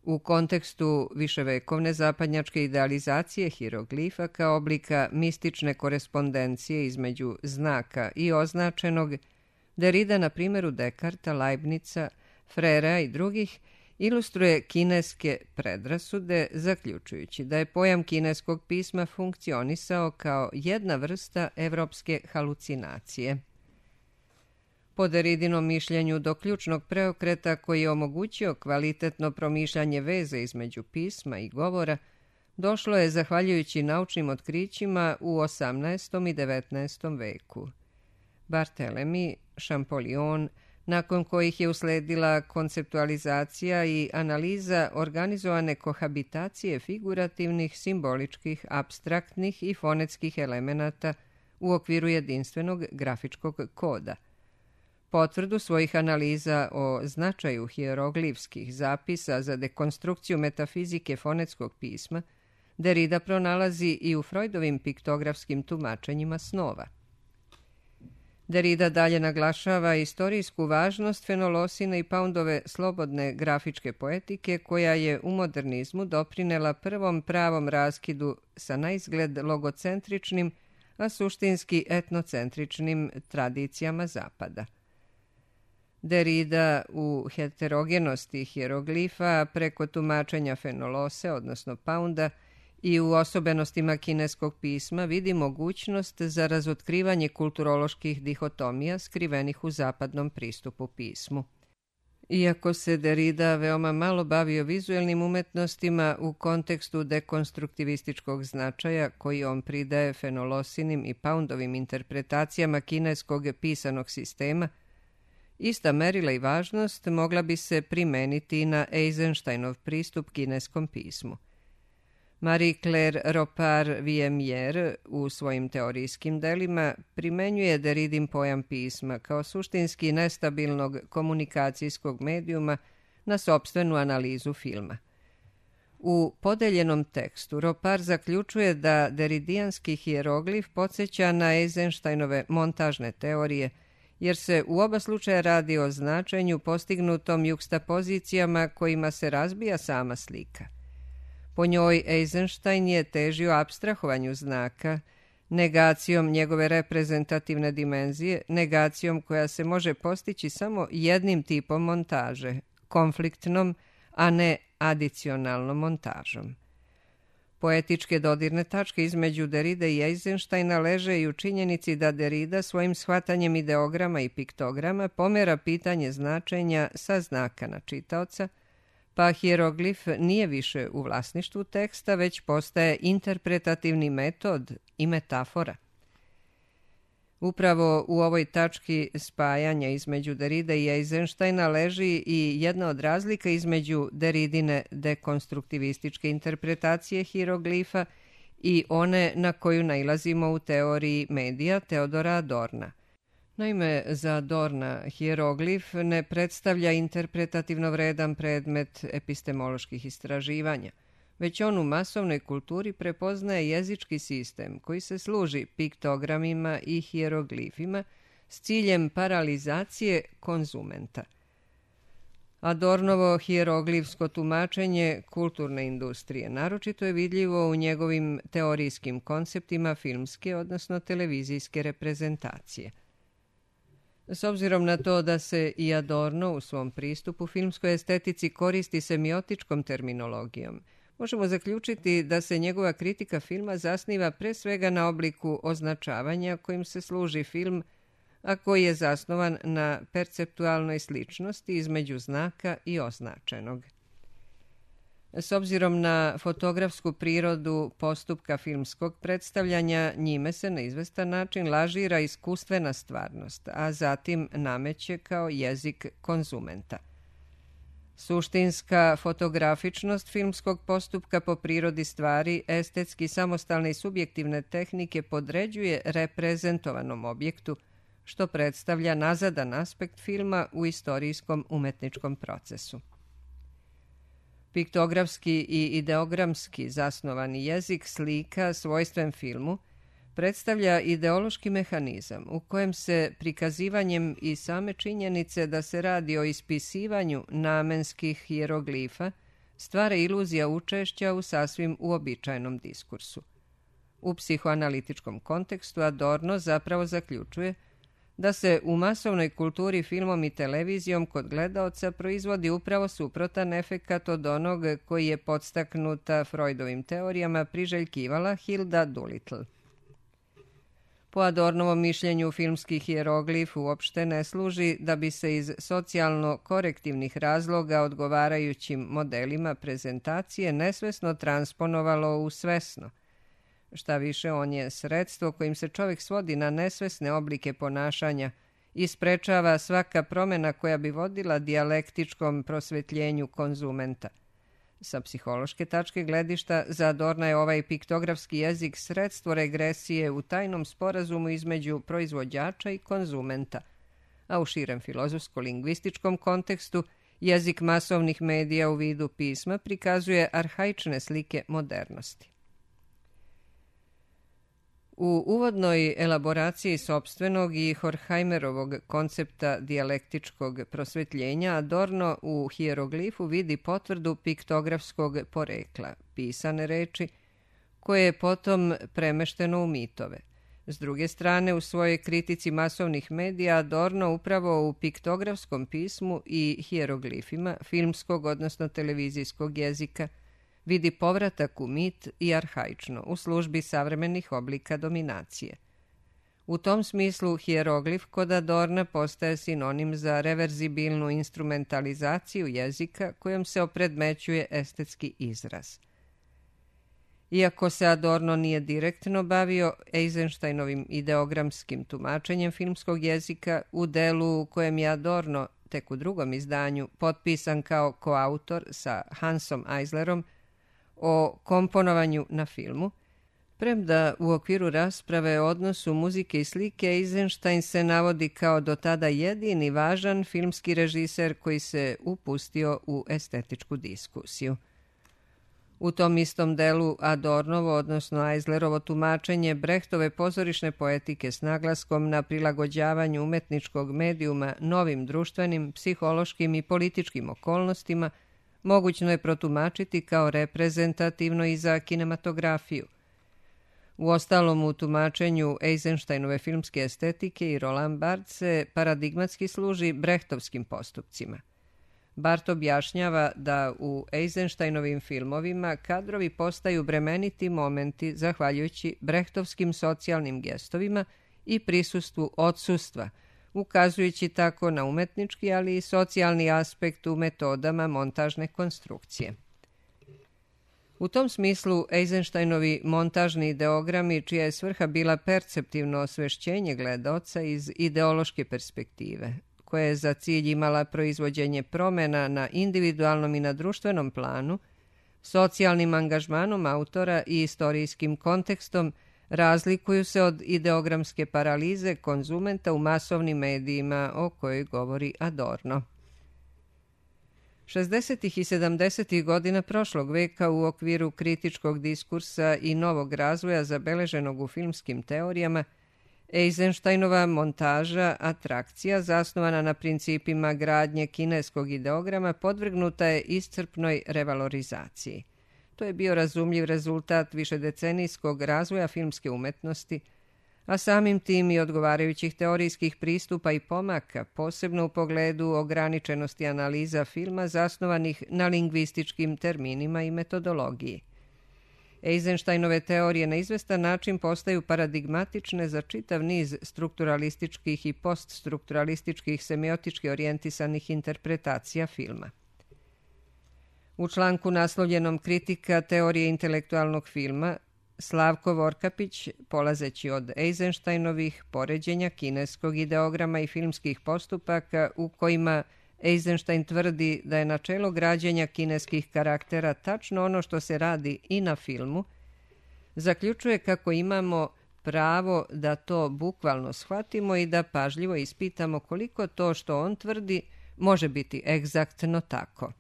S1: U kontekstu viševekovne zapadnjačke idealizacije hieroglifa kao oblika mistične korespondencije između znaka i označenog, Derrida na primjeru Dekarta, Leibnica, Frera i drugih ilustruje kineske predrasude, zaključujući da je pojam kineskog pisma funkcionisao kao jedna vrsta evropske halucinacije. Po Derridinom mišljenju do ključnog preokreta koji je omogućio kvalitetno promišljanje veze između pisma i govora, došlo je zahvaljujući naučnim otkrićima u osamnaestom i devetnaestom veku. Barthélemy, Champollion, nakon kojih je usledila konceptualizacija i analiza organizovane kohabitacije figurativnih, simboličkih, apstraktnih i fonetskih elemenata u okviru jedinstvenog grafičkog koda. Potvrdu svojih analiza o značaju hieroglifskih zapisa za dekonstrukciju metafizike fonetskog pisma Derrida pronalazi i u Freudovim piktografskim tumačenjima snova. Derrida dalje naglašava istorijsku važnost Fenolosine i Poundove slobodne grafičke poetike, koja je u modernizmu doprinela prvom pravom raskidu sa naizgled logocentričnim, a suštinski etnocentričnim tradicijama Zapada. Derrida u heterogenosti hieroglifa preko tumačenja Fenolose, odnosno Pounda, i u osobenostima kineskog pisma vidi mogućnost za razotkrivanje kulturoloških dihotomija skrivenih u zapadnom pristupu pismu. Iako se Derrida veoma malo bavio vizuelnim umetnostima u kontekstu dekonstruktivističkog značaja koji on pridaje Fenolosinim i Poundovim interpretacijama kineskog pisanog sistema, ista merila i važnost mogla bi se primeniti na Eisensteinov pristup kineskom pismu. Marie-Claire Ropar-Viemier u svojim teorijskim delima primenjuje Derridin pojam pisma kao suštinski nestabilnog komunikacijskog medijuma na sopstvenu analizu filma. U podeljenom tekstu Ropar zaključuje da deridijanski hieroglif podsjeća na Eisensteinove montažne teorije, jer se u oba slučaja radi o značenju postignutom jukstapozicijama kojima se razbija sama slika. Po njoj Eisenstein je težio apstrahovanju znaka, negacijom njegove reprezentativne dimenzije, negacijom koja se može postići samo jednim tipom montaže, konfliktnom, a ne adicionalnom montažom. Poetičke dodirne tačke između Derrida i Eisensteina leže i u činjenici da Derrida svojim shvatanjem ideograma i piktograma pomera pitanje značenja sa znaka na čitaoca, pa hieroglif nije više u vlasništvu teksta, već postaje interpretativni metod i metafora. Upravo u ovoj tački spajanja između Derrida i Eisensteina leži i jedna od razlika između Derridine dekonstruktivističke interpretacije hieroglifa i one na koju nailazimo u teoriji medija Teodora Adorna. Naime, za Adorna hieroglif ne predstavlja interpretativno vredan predmet epistemoloških istraživanja, već on u masovnoj kulturi prepoznaje jezički sistem koji se služi piktogramima i hieroglifima s ciljem paralizacije konzumenta. Adornovo hieroglifsko tumačenje kulturne industrije naročito je vidljivo u njegovim teorijskim konceptima filmske, odnosno televizijske reprezentacije. S obzirom na to da se i Adorno u svom pristupu filmskoj estetici koristi semiotičkom terminologijom, možemo zaključiti da se njegova kritika filma zasniva pre svega na obliku označavanja kojim se služi film, a koji je zasnovan na perceptualnoj sličnosti između znaka i označenog. S obzirom na fotografsku prirodu postupka filmskog predstavljanja, njime se na izvestan način lažira iskustvena stvarnost, a zatim nameće kao jezik konzumenta. Suštinska fotografičnost filmskog postupka po prirodi stvari estetski samostalne i subjektivne tehnike podređuje reprezentovanom objektu, što predstavlja nazadan aspekt filma u istorijskom umetničkom procesu. Piktografski i ideogramski zasnovani jezik slika svojstven filmu predstavlja ideološki mehanizam u kojem se prikazivanjem i same činjenice da se radi o ispisivanju namenskih hieroglifa stvara iluzija učešća u sasvim uobičajenom diskursu. U psihoanalitičkom kontekstu Adorno zapravo zaključuje da se u masovnoj kulturi filmom i televizijom kod gledaoca proizvodi upravo suprotan efekat od onog koji je podstaknuta Freudovim teorijama priželjkivala Hilda Doolittle. Po Adornovom mišljenju filmski hieroglif uopšte ne služi da bi se iz socijalno-korektivnih razloga odgovarajućim modelima prezentacije nesvesno transponovalo u svesno. Šta više, on je sredstvo kojim se čovjek svodi na nesvesne oblike ponašanja i sprečava svaka promjena koja bi vodila dijalektičkom prosvetljenju konzumenta. Sa psihološke tačke gledišta za Adorna je ovaj piktografski jezik sredstvo regresije u tajnom sporazumu između proizvođača i konzumenta, a u širem filozofsko-lingvističkom kontekstu jezik masovnih medija u vidu pisma prikazuje arhaične slike modernosti. U uvodnoj elaboraciji sopstvenog i Horkheimerovog koncepta dijalektičkog prosvetljenja Adorno u hijeroglifu vidi potvrdu piktografskog porekla, pisane reči, koje je potom premešteno u mitove. S druge strane, u svojoj kritici masovnih medija Adorno upravo u piktografskom pismu i hijeroglifima filmskog, odnosno televizijskog jezika, vidi povratak u mit i arhaično u službi savremenih oblika dominacije. U tom smislu hijeroglif kod Adorna postaje sinonim za reverzibilnu instrumentalizaciju jezika kojom se opredmećuje estetski izraz. Iako se Adorno nije direktno bavio Eisensteinovim ideogramskim tumačenjem filmskog jezika, u delu u kojem je Adorno, tek u drugom izdanju, potpisan kao koautor sa Hansom Eislerom o komponovanju na filmu, premda u okviru rasprave o odnosu muzike i slike Eisenstein se navodi kao do tada jedini važan filmski režiser koji se upustio u estetičku diskusiju. U tom istom delu Adornovo, odnosno Eislerovo tumačenje Brechtove pozorišne poetike s naglaskom na prilagođavanju umetničkog medijuma novim društvenim, psihološkim i političkim okolnostima mogućno je protumačiti kao reprezentativno i za kinematografiju. Uostalom, u tumačenju Eisensteinove filmske estetike i Roland Barthes se paradigmatski služi brechtovskim postupcima. Barth objašnjava da u Eisensteinovim filmovima kadrovi postaju bremeniti momenti zahvaljujući brechtovskim socijalnim gestovima i prisustvu odsustva, ukazujući tako na umetnički, ali i socijalni aspekt u metodama montažne konstrukcije. U tom smislu Eisensteinovi montažni ideogrami, čija je svrha bila perceptivno osvešćenje gledaoca iz ideološke perspektive, koja je za cilj imala proizvođenje promena na individualnom i na društvenom planu, socijalnim angažmanom autora i istorijskim kontekstom, razlikuju se od ideogramske paralize konzumenta u masovnim medijima o kojoj govori Adorno. šezdesetih i sedamdesetih godina prošlog veka u okviru kritičkog diskursa i novog razvoja zabeleženog u filmskim teorijama, Eisensteinova montaža, atrakcija, zasnovana na principima gradnje kineskog ideograma, podvrgnuta je iscrpnoj revalorizaciji. To je bio razumljiv rezultat višedecenijskog razvoja filmske umetnosti, a samim tim i odgovarajućih teorijskih pristupa i pomaka, posebno u pogledu ograničenosti analiza filma zasnovanih na lingvističkim terminima i metodologiji. Eisensteinove teorije na izvestan način postaju paradigmatične za čitav niz strukturalističkih i poststrukturalističkih semiotički orijentisanih interpretacija filma. U članku naslovljenom Kritika teorije intelektualnog filma, Slavko Vorkapić, polazeći od Eisensteinovih poređenja kineskog ideograma i filmskih postupaka u kojima Eisenstein tvrdi da je načelo građenja kineskih karaktera tačno ono što se radi i na filmu, zaključuje kako imamo pravo da to bukvalno shvatimo i da pažljivo ispitamo koliko to što on tvrdi može biti egzaktno tako.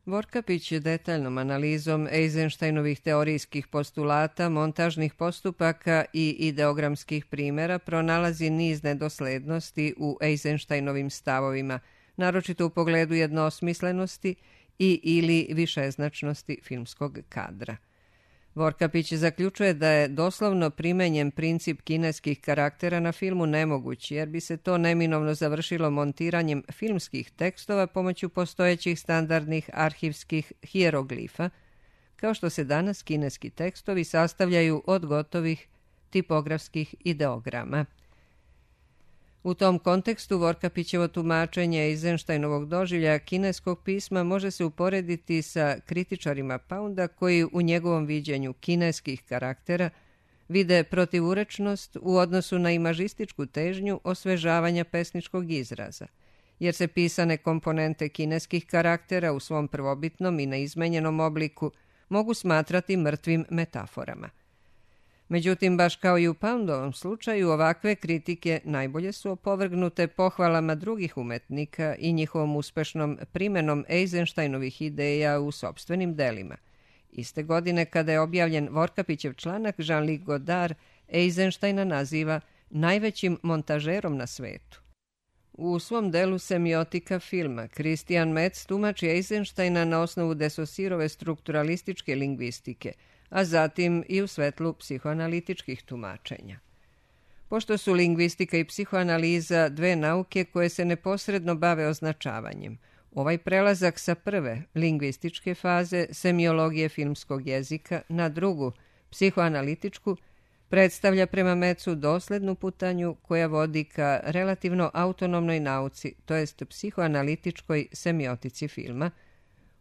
S1: Vorkapić detaljnom analizom Eisensteinovih teorijskih postulata, montažnih postupaka i ideogramskih primjera pronalazi niz nedoslednosti u Eisensteinovim stavovima, naročito u pogledu jednosmislenosti i ili višeznačnosti filmskog kadra. Vorkapić zaključuje da je doslovno primenjen princip kineskih karaktera na filmu nemoguć, jer bi se to neminovno završilo montiranjem filmskih tekstova pomoću postojećih standardnih arhivskih hijeroglifa, kao što se danas kineski tekstovi sastavljaju od gotovih tipografskih ideograma. U tom kontekstu Vorkapićevo tumačenje Eisensteinovog doživljaja kineskog pisma može se uporediti sa kritičarima Pounda koji u njegovom viđenju kineskih karaktera vide protivurečnost u odnosu na imažističku težnju osvežavanja pesničkog izraza, jer se pisane komponente kineskih karaktera u svom prvobitnom i neizmenjenom obliku mogu smatrati mrtvim metaforama. Međutim, baš kao i u Poundovom slučaju, ovakve kritike najbolje su opovrgnute pohvalama drugih umetnika i njihovom uspešnom primenom Eisensteinovih ideja u sopstvenim delima. Iste godine, kada je objavljen Vorkapićev članak, Jean-Luc Godard Eisensteina naziva najvećim montažerom na svetu. U svom delu Semiotika filma Christian Metz tumači Eisensteina na osnovu de Saussurove strukturalističke lingvistike, a zatim i u svetlu psihoanalitičkih tumačenja. Pošto su lingvistika i psihoanaliza dve nauke koje se neposredno bave označavanjem, ovaj prelazak sa prve lingvističke faze semiologije filmskog jezika na drugu, psihoanalitičku, predstavlja prema Metzu doslednu putanju koja vodi ka relativno autonomnoj nauci, to jest psihoanalitičkoj semiotici filma,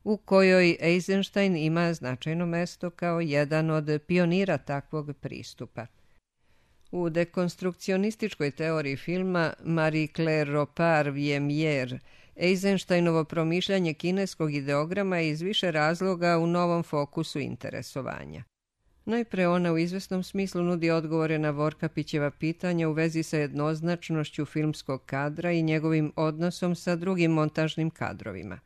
S1: u kojoj Eisenstein ima značajno mesto kao jedan od pionira takvog pristupa. U dekonstrukcionističkoj teoriji filma Marie-Claire Ropar-Viemier Eisensteinovo promišljanje kineskog ideograma je iz više razloga u novom fokusu interesovanja. Najpre ona u izvesnom smislu nudi odgovore na Vorkapićeva pitanja u vezi sa jednoznačnošću filmskog kadra i njegovim odnosom sa drugim montažnim kadrovima.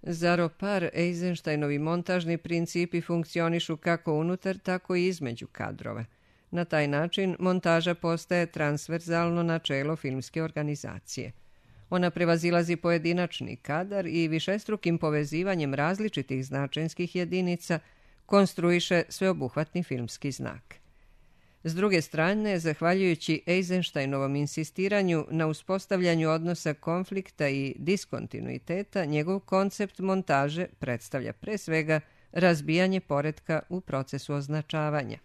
S1: Za Ropar, Eisensteinovi montažni principi funkcionišu kako unutar, tako i između kadrova. Na taj način montaža postaje transverzalno načelo filmske organizacije. Ona prevazilazi pojedinačni kadar i višestrukim povezivanjem različitih značenskih jedinica konstruiše sveobuhvatni filmski znak. S druge strane, zahvaljujući Eisensteinovom insistiranju na uspostavljanju odnosa konflikta i diskontinuiteta, njegov koncept montaže predstavlja pre svega razbijanje poretka u procesu označavanja.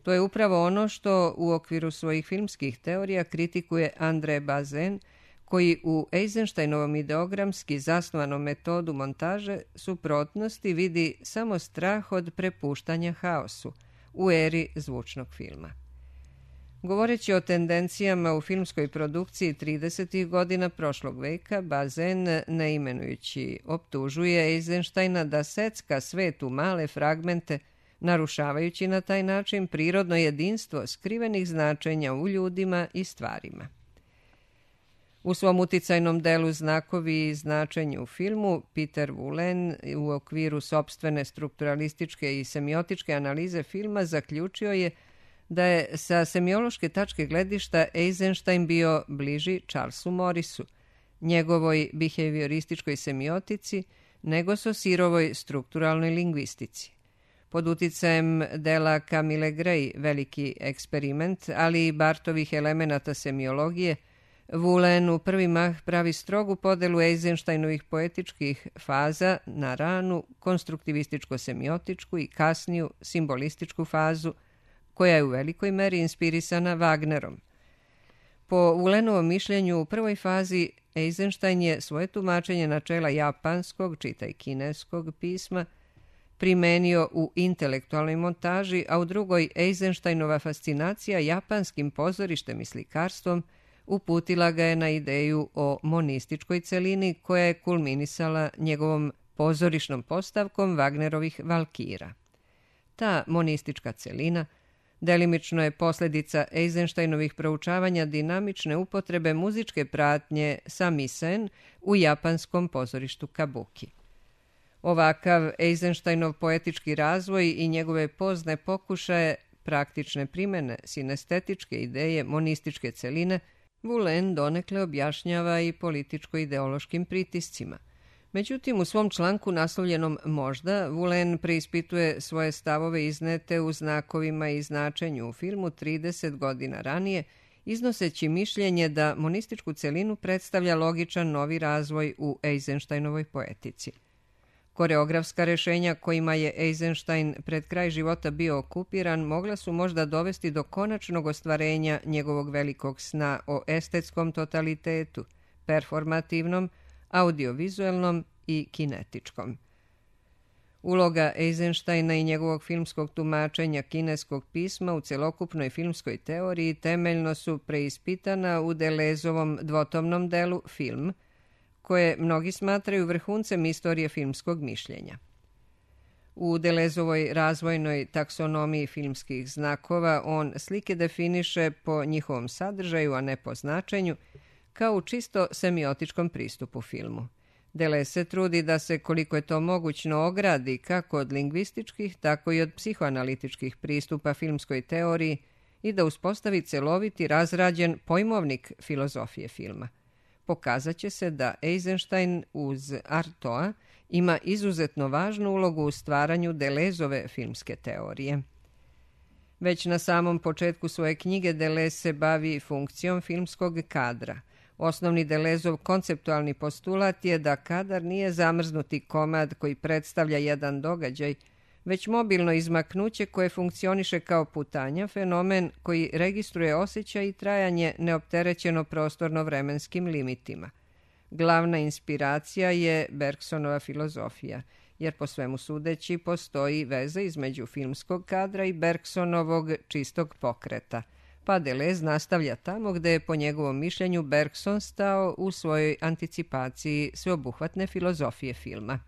S1: To je upravo ono što u okviru svojih filmskih teorija kritikuje André Bazin, koji u Eisensteinovom ideogramski zasnovanom metodu montaže suprotnosti vidi samo strah od prepuštanja haosu u eri zvučnog filma. Govoreći o tendencijama u filmskoj produkciji tridesetih godina prošlog veka, Bazin, ne imenujući, optužuje Eisensteina da secka svet u male fragmente, narušavajući na taj način prirodno jedinstvo skrivenih značenja u ljudima i stvarima. U svom uticajnom delu Znakovi i značenje u filmu, Peter Woolen u okviru sopstvene strukturalističke i semiotičke analize filma zaključio je da je sa semiološke tačke gledišta Eisenstein bio bliži Charlesu Morrisu, njegovoj behaviorističkoj semiotici, nego Saussurovoj strukturalnoj lingvistici. Pod uticajem dela Camille Gray, Veliki eksperiment, ali i Bartovih elemenata semiologije, Woolen u prvi mah pravi strogu podelu Eisensteinovih poetičkih faza na ranu konstruktivističko-semiotičku i kasniju simbolističku fazu, koja je u velikoj meri inspirisana Wagnerom. Po Woolenovom mišljenju, u prvoj fazi Eisenstein je svoje tumačenje načela japanskog, čitaj kineskog pisma, primenio u intelektualnoj montaži, a u drugoj Eisensteinova fascinacija japanskim pozorištem i slikarstvom uputila ga je na ideju o monističkoj celini koja je kulminisala njegovom pozorišnom postavkom Wagnerovih Valkira. Ta monistička celina delimično je posljedica Eisensteinovih proučavanja dinamične upotrebe muzičke pratnje samisen u japanskom pozorištu kabuki. Ovakav Eisensteinov poetički razvoj i njegove pozne pokušaje praktične primene sinestetičke ideje monističke celine Woolen donekle objašnjava i političko-ideološkim pritiscima. Međutim, u svom članku naslovljenom Možda, Woolen preispituje svoje stavove iznete u Znakovima i značenju u filmu trideset godina ranije, iznoseći mišljenje da monističku celinu predstavlja logičan novi razvoj u Eisensteinovoj poetici. Koreografska rešenja kojima je Eisenstein pred kraj života bio okupiran mogla su možda dovesti do konačnog ostvarenja njegovog velikog sna o estetskom totalitetu, performativnom, audiovizuelnom i kinetičkom. Uloga Eisensteina i njegovog filmskog tumačenja kineskog pisma u celokupnoj filmskoj teoriji temeljno su preispitana u Delezovom dvotomnom delu Film, koje mnogi smatraju vrhuncem istorije filmskog mišljenja. U Delezovoj razvojnoj taksonomiji filmskih znakova on slike definiše po njihovom sadržaju, a ne po značenju, kao u čisto semiotičkom pristupu filmu. Delez se trudi da se, koliko je to mogućno, ogradi kako od lingvističkih, tako i od psihoanalitičkih pristupa filmskoj teoriji i da uspostavi celoviti, razrađen pojmovnik filozofije filma. Pokazat će se da Eisenstein uz Artaud ima izuzetno važnu ulogu u stvaranju Delezove filmske teorije. Već na samom početku svoje knjige Delez se bavi funkcijom filmskog kadra. Osnovni Delezov konceptualni postulat je da kadar nije zamrznuti komad koji predstavlja jedan događaj, već mobilno izmaknuće koje funkcioniše kao putanja, fenomen koji registruje osjećaj i trajanje neopterećeno prostorno-vremenskim limitima. Glavna inspiracija je Bergsonova filozofija, jer po svemu sudeći postoji veza između filmskog kadra i Bergsonovog čistog pokreta, pa Delez nastavlja tamo gde je po njegovom mišljenju Bergson stao u svojoj anticipaciji sveobuhvatne filozofije filma.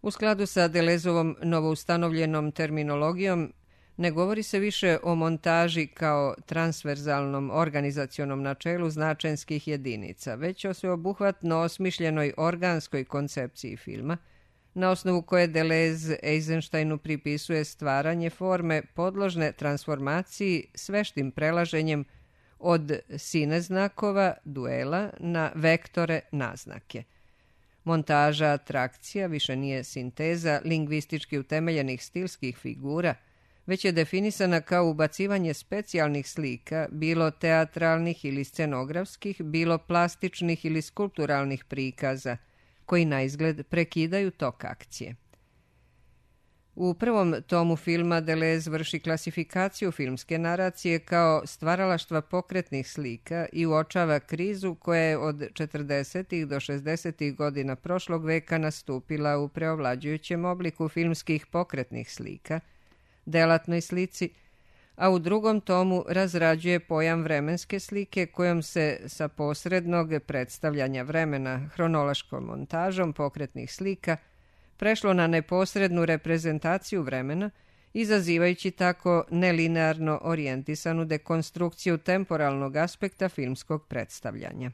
S1: U skladu sa Delezovom novoustanovljenom terminologijom, ne govori se više o montaži kao transverzalnom organizacionom načelu značenskih jedinica, već o sveobuhvatno osmišljenoj organskoj koncepciji filma, na osnovu koje Delez Eisensteinu pripisuje stvaranje forme podložne transformaciji s veštim prelaženjem od sine znakova, duela, na vektore, naznake. Montaža atrakcija više nije sinteza lingvistički utemeljenih stilskih figura, već je definisana kao ubacivanje specijalnih slika, bilo teatralnih ili scenografskih, bilo plastičnih ili skulpturalnih prikaza, koji na izgled prekidaju tok akcije. U prvom tomu filma Delez vrši klasifikaciju filmske naracije kao stvaralaštva pokretnih slika i uočava krizu koja je od četrdesetih do šezdesetih godina prošlog veka nastupila u preovlađujućem obliku filmskih pokretnih slika, delatnoj slici, a u drugom tomu razrađuje pojam vremenske slike kojom se sa posrednog predstavljanja vremena hronološkom montažom pokretnih slika prešlo na neposrednu reprezentaciju vremena, izazivajući tako nelinearno orijentisanu dekonstrukciju temporalnog aspekta filmskog predstavljanja.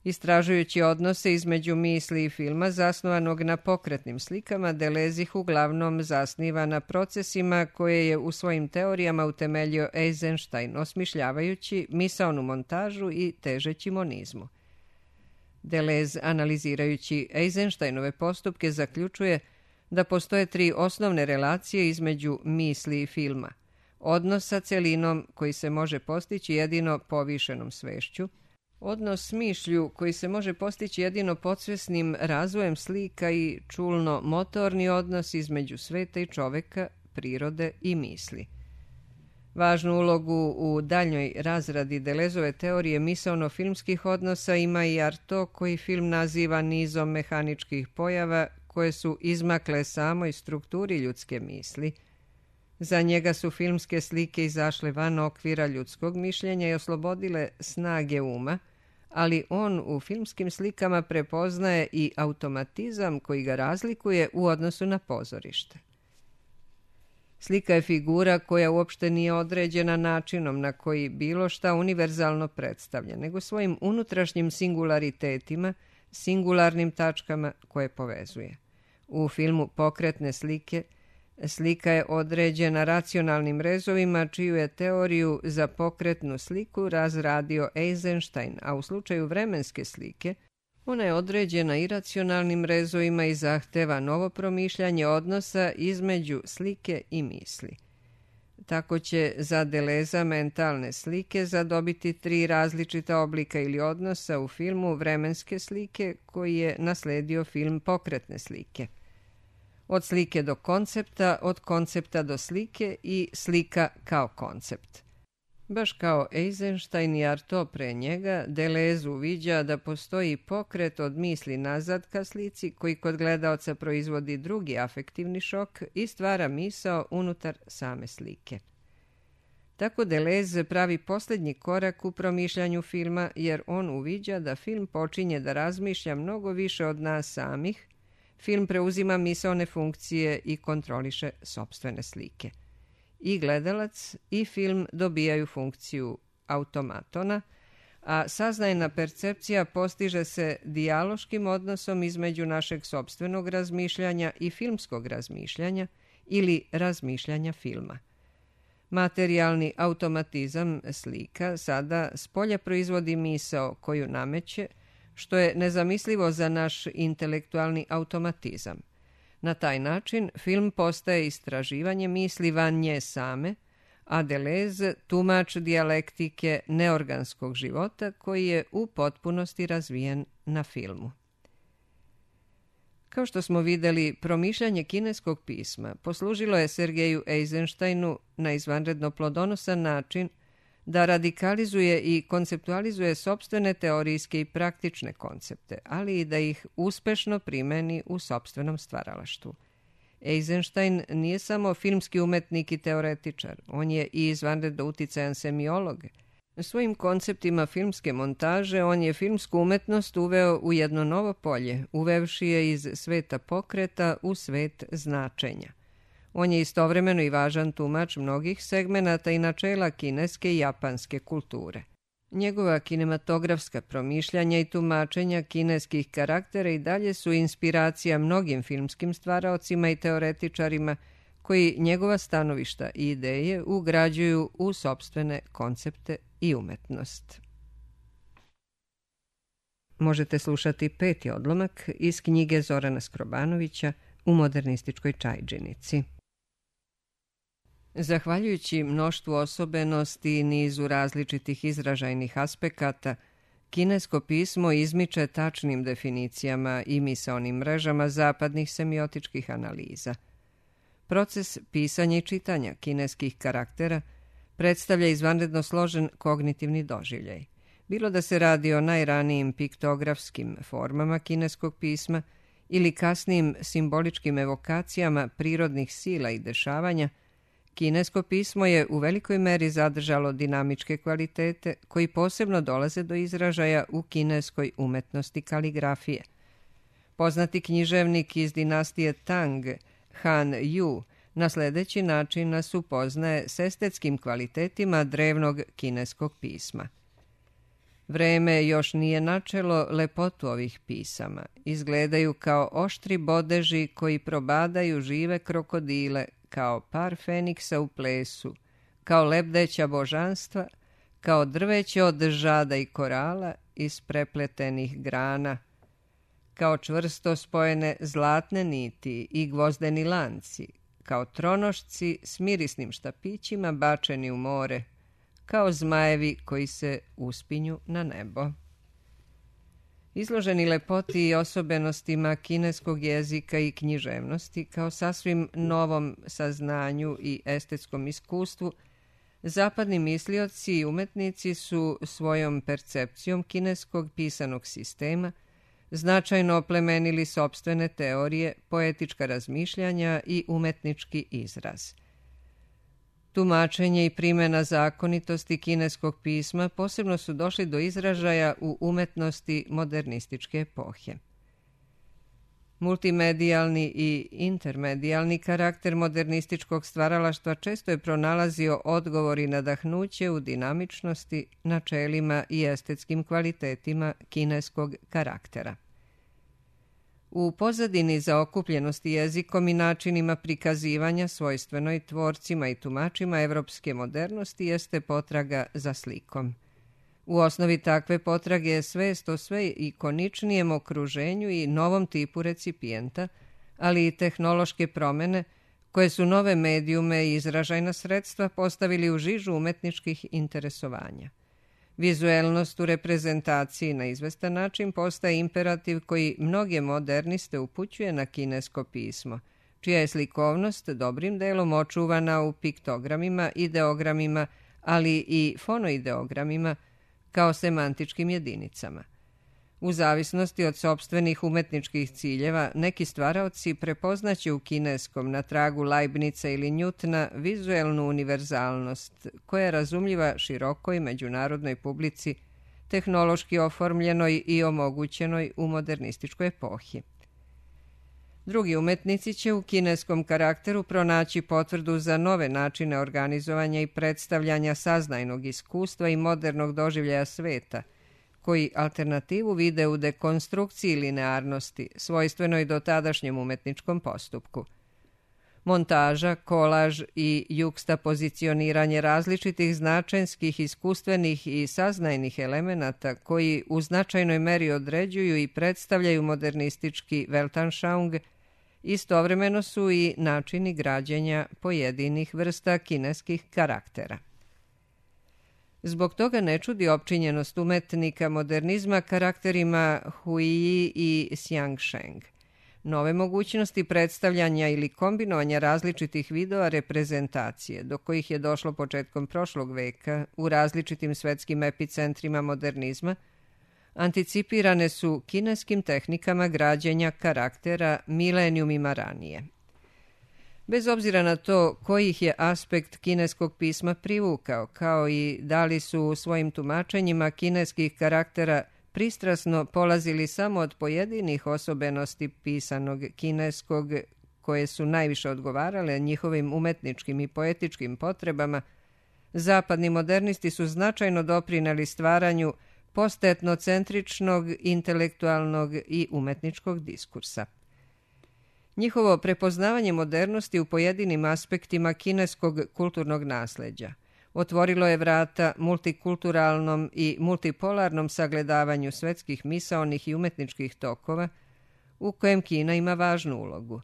S1: Istražujući odnose između misli i filma zasnovanog na pokretnim slikama, Delez ih uglavnom zasniva na procesima koje je u svojim teorijama utemeljio Eisenstein, osmišljavajući misaonu montažu i težeći monizmu. Delez, analizirajući Eisensteinove postupke, zaključuje da postoje tri osnovne relacije između misli i filma. Odnos sa celinom koji se može postići jedino povišenom svešću, odnos s mišlju koji se može postići jedino podsvesnim razvojem slika i čulno-motorni odnos između sveta i čoveka, prirode i misli. Važnu ulogu u daljnjoj razradi Delezove teorije misaono-filmskih odnosa ima i Artaud, koji film naziva nizom mehaničkih pojava koje su izmakle samoj strukturi ljudske misli. Za njega su filmske slike izašle van okvira ljudskog mišljenja i oslobodile snage uma, ali on u filmskim slikama prepoznaje i automatizam koji ga razlikuje u odnosu na pozorište. Slika je figura koja uopšte nije određena načinom na koji bilo šta univerzalno predstavlja, nego svojim unutrašnjim singularitetima, singularnim tačkama koje povezuje. U filmu Pokretne slike slika je određena racionalnim rezovima čiju je teoriju za pokretnu sliku razradio Eisenstein, a u slučaju vremenske slike ona je određena iracionalnim rezovima i zahteva novo promišljanje odnosa između slike i misli. Tako će za Deleza mentalne slike zadobiti tri različita oblika ili odnosa u filmu vremenske slike koji je nasledio film Pokretne slike. Od slike do koncepta, od koncepta do slike i slika kao koncept. Baš kao Eisenstein i Artaud pre njega, Delez uviđa da postoji pokret od misli nazad ka slici koji kod gledaoca proizvodi drugi afektivni šok i stvara misao unutar same slike. Tako Delez pravi posljednji korak u promišljanju filma, jer on uviđa da film počinje da razmišlja mnogo više od nas samih, film preuzima misaone funkcije i kontroliše sopstvene slike. I gledalac i film dobijaju funkciju automatona, a saznajna percepcija postiže se dijaloškim odnosom između našeg sopstvenog razmišljanja i filmskog razmišljanja ili razmišljanja filma. Materijalni automatizam slika sada spolja proizvodi misao koju nameće, što je nezamislivo za naš intelektualni automatizam. Na taj način film postaje istraživanje misli van nje same, a Deleuze tumač dijalektike neorganskog života koji je u potpunosti razvijen na filmu. Kao što smo vidjeli, promišljanje kineskog pisma poslužilo je Sergeju Eisensteinu na izvanredno plodonosan način da radikalizuje i konceptualizuje sopstvene teorijske i praktične koncepte, ali i da ih uspešno primeni u sopstvenom stvaralaštvu. Eisenstein nije samo filmski umetnik i teoretičar, on je i izvanredno uticajan semiolog. Svojim konceptima filmske montaže on je filmsku umetnost uveo u jedno novo polje, uvevši je iz sveta pokreta u svet značenja. On je istovremeno i važan tumač mnogih segmenata i načela kineske i japanske kulture. Njegova kinematografska promišljanja i tumačenja kineskih karaktera i dalje su inspiracija mnogim filmskim stvaraocima i teoretičarima koji njegova stanovišta i ideje ugrađuju u sopstvene koncepte i umetnost. Možete slušati peti odlomak iz knjige Zorana Skrobanovića U modernističkoj čajdžinici. Zahvaljujući mnoštvu osobenosti i nizu različitih izražajnih aspekata, kinesko pismo izmiče tačnim definicijama i misaonim mrežama zapadnih semiotičkih analiza. Proces pisanja i čitanja kineskih karaktera predstavlja izvanredno složen kognitivni doživljaj. Bilo da se radi o najranijim piktografskim formama kineskog pisma ili kasnijim simboličkim evokacijama prirodnih sila i dešavanja, kinesko pismo je u velikoj meri zadržalo dinamičke kvalitete koji posebno dolaze do izražaja u kineskoj umetnosti kaligrafije. Poznati književnik iz dinastije Tang, Han Yu, na sledeći način nas upoznaje s estetskim kvalitetima drevnog kineskog pisma. Vreme još nije načelo lepotu ovih pisama. Izgledaju kao oštri bodeži koji probadaju žive krokodile, kao par feniksa u plesu, kao lebdeća božanstva, kao drveće od žada i korala iz prepletenih grana, kao čvrsto spojene zlatne niti i gvozdeni lanci, kao tronošci s mirisnim štapićima bačeni u more, kao zmajevi koji se uspinju na nebo. Izloženi lepoti i osobenostima kineskog jezika i književnosti kao sasvim novom saznanju i estetskom iskustvu, zapadni mislioci i umetnici su svojom percepcijom kineskog pisanog sistema značajno oplemenili sopstvene teorije, poetička razmišljanja i umetnički izraz. Tumačenje i primjena zakonitosti kineskog pisma posebno su došli do izražaja u umetnosti modernističke epohe. Multimedijalni i intermedijalni karakter modernističkog stvaralaštva često je pronalazio odgovor i nadahnuće u dinamičnosti, načelima i estetskim kvalitetima kineskog karaktera. U pozadini zaokupljenosti jezikom i načinima prikazivanja svojstvenoj tvorcima i tumačima evropske modernosti jeste potraga za slikom. U osnovi takve potrage je svest o sve ikoničnijem okruženju i novom tipu recipijenta, ali i tehnološke promene koje su nove medijume i izražajna sredstva postavili u žižu umetničkih interesovanja. Vizuelnost u reprezentaciji na izvestan način postaje imperativ koji mnoge moderniste upućuje na kinesko pismo, čija je slikovnost dobrim delom očuvana u piktogramima, ideogramima, ali i fonoideogramima kao semantičkim jedinicama. U zavisnosti od sopstvenih umetničkih ciljeva, neki stvaraoci prepoznaće u kineskom na tragu Leibnica ili Njutna vizuelnu univerzalnost, koja je razumljiva širokoj međunarodnoj publici, tehnološki oformljenoj i omogućenoj u modernističkoj epohi. Drugi umetnici će u kineskom karakteru pronaći potvrdu za nove načine organizovanja i predstavljanja saznajnog iskustva i modernog doživljaja sveta, koji alternativu vide u dekonstrukciji linearnosti, svojstvenoj dotadašnjem umetničkom postupku. Montaža, kolaž i jukstapozicioniranje različitih značenskih, iskustvenih i saznajnih elemenata koji u značajnoj meri određuju i predstavljaju modernistički Weltanschauung, istovremeno su i načini građenja pojedinih vrsta kineskih karaktera. Zbog toga ne čudi opčinjenost umetnika modernizma karakterima Huiji i Xiangsheng. Nove mogućnosti predstavljanja ili kombinovanja različitih vidova reprezentacije, do kojih je došlo početkom prošlog veka u različitim svetskim epicentrima modernizma, anticipirane su kineskim tehnikama građenja karaktera milenijumima ranije. Bez obzira na to koji ih je aspekt kineskog pisma privukao, kao i da li su u svojim tumačenjima kineskih karaktera pristrasno polazili samo od pojedinih osobenosti pisanog kineskog, koje su najviše odgovarale njihovim umetničkim i poetičkim potrebama, zapadni modernisti su značajno doprineli stvaranju postetnocentričnog, intelektualnog i umetničkog diskursa. Njihovo prepoznavanje modernosti u pojedinim aspektima kineskog kulturnog nasleđa otvorilo je vrata multikulturalnom i multipolarnom sagledavanju svetskih misaonih i umetničkih tokova, u kojem Kina ima važnu ulogu.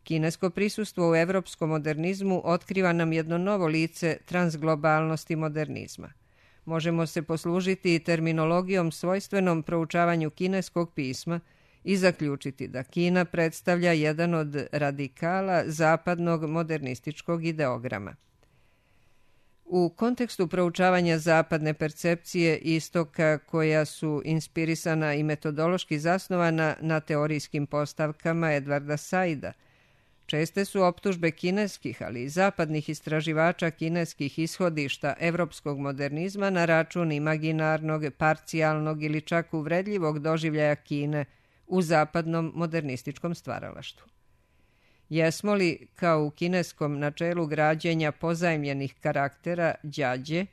S1: Kinesko prisustvo u evropskom modernizmu otkriva nam jedno novo lice transglobalnosti modernizma. Možemo se poslužiti i terminologijom svojstvenom proučavanju kineskog pisma i zaključiti da Kina predstavlja jedan od radikala zapadnog modernističkog ideograma. U kontekstu proučavanja zapadne percepcije istoka, koja su inspirisana i metodološki zasnovana na teorijskim postavkama Edwarda Saida, česte su optužbe kineskih, ali i zapadnih istraživača kineskih ishodišta evropskog modernizma na račun imaginarnog, parcijalnog ili čak uvredljivog doživljaja Kine u zapadnom modernističkom stvaralaštvu. Jesmo li, kao u kineskom načelu građenja pozajmljenih karaktera đađe,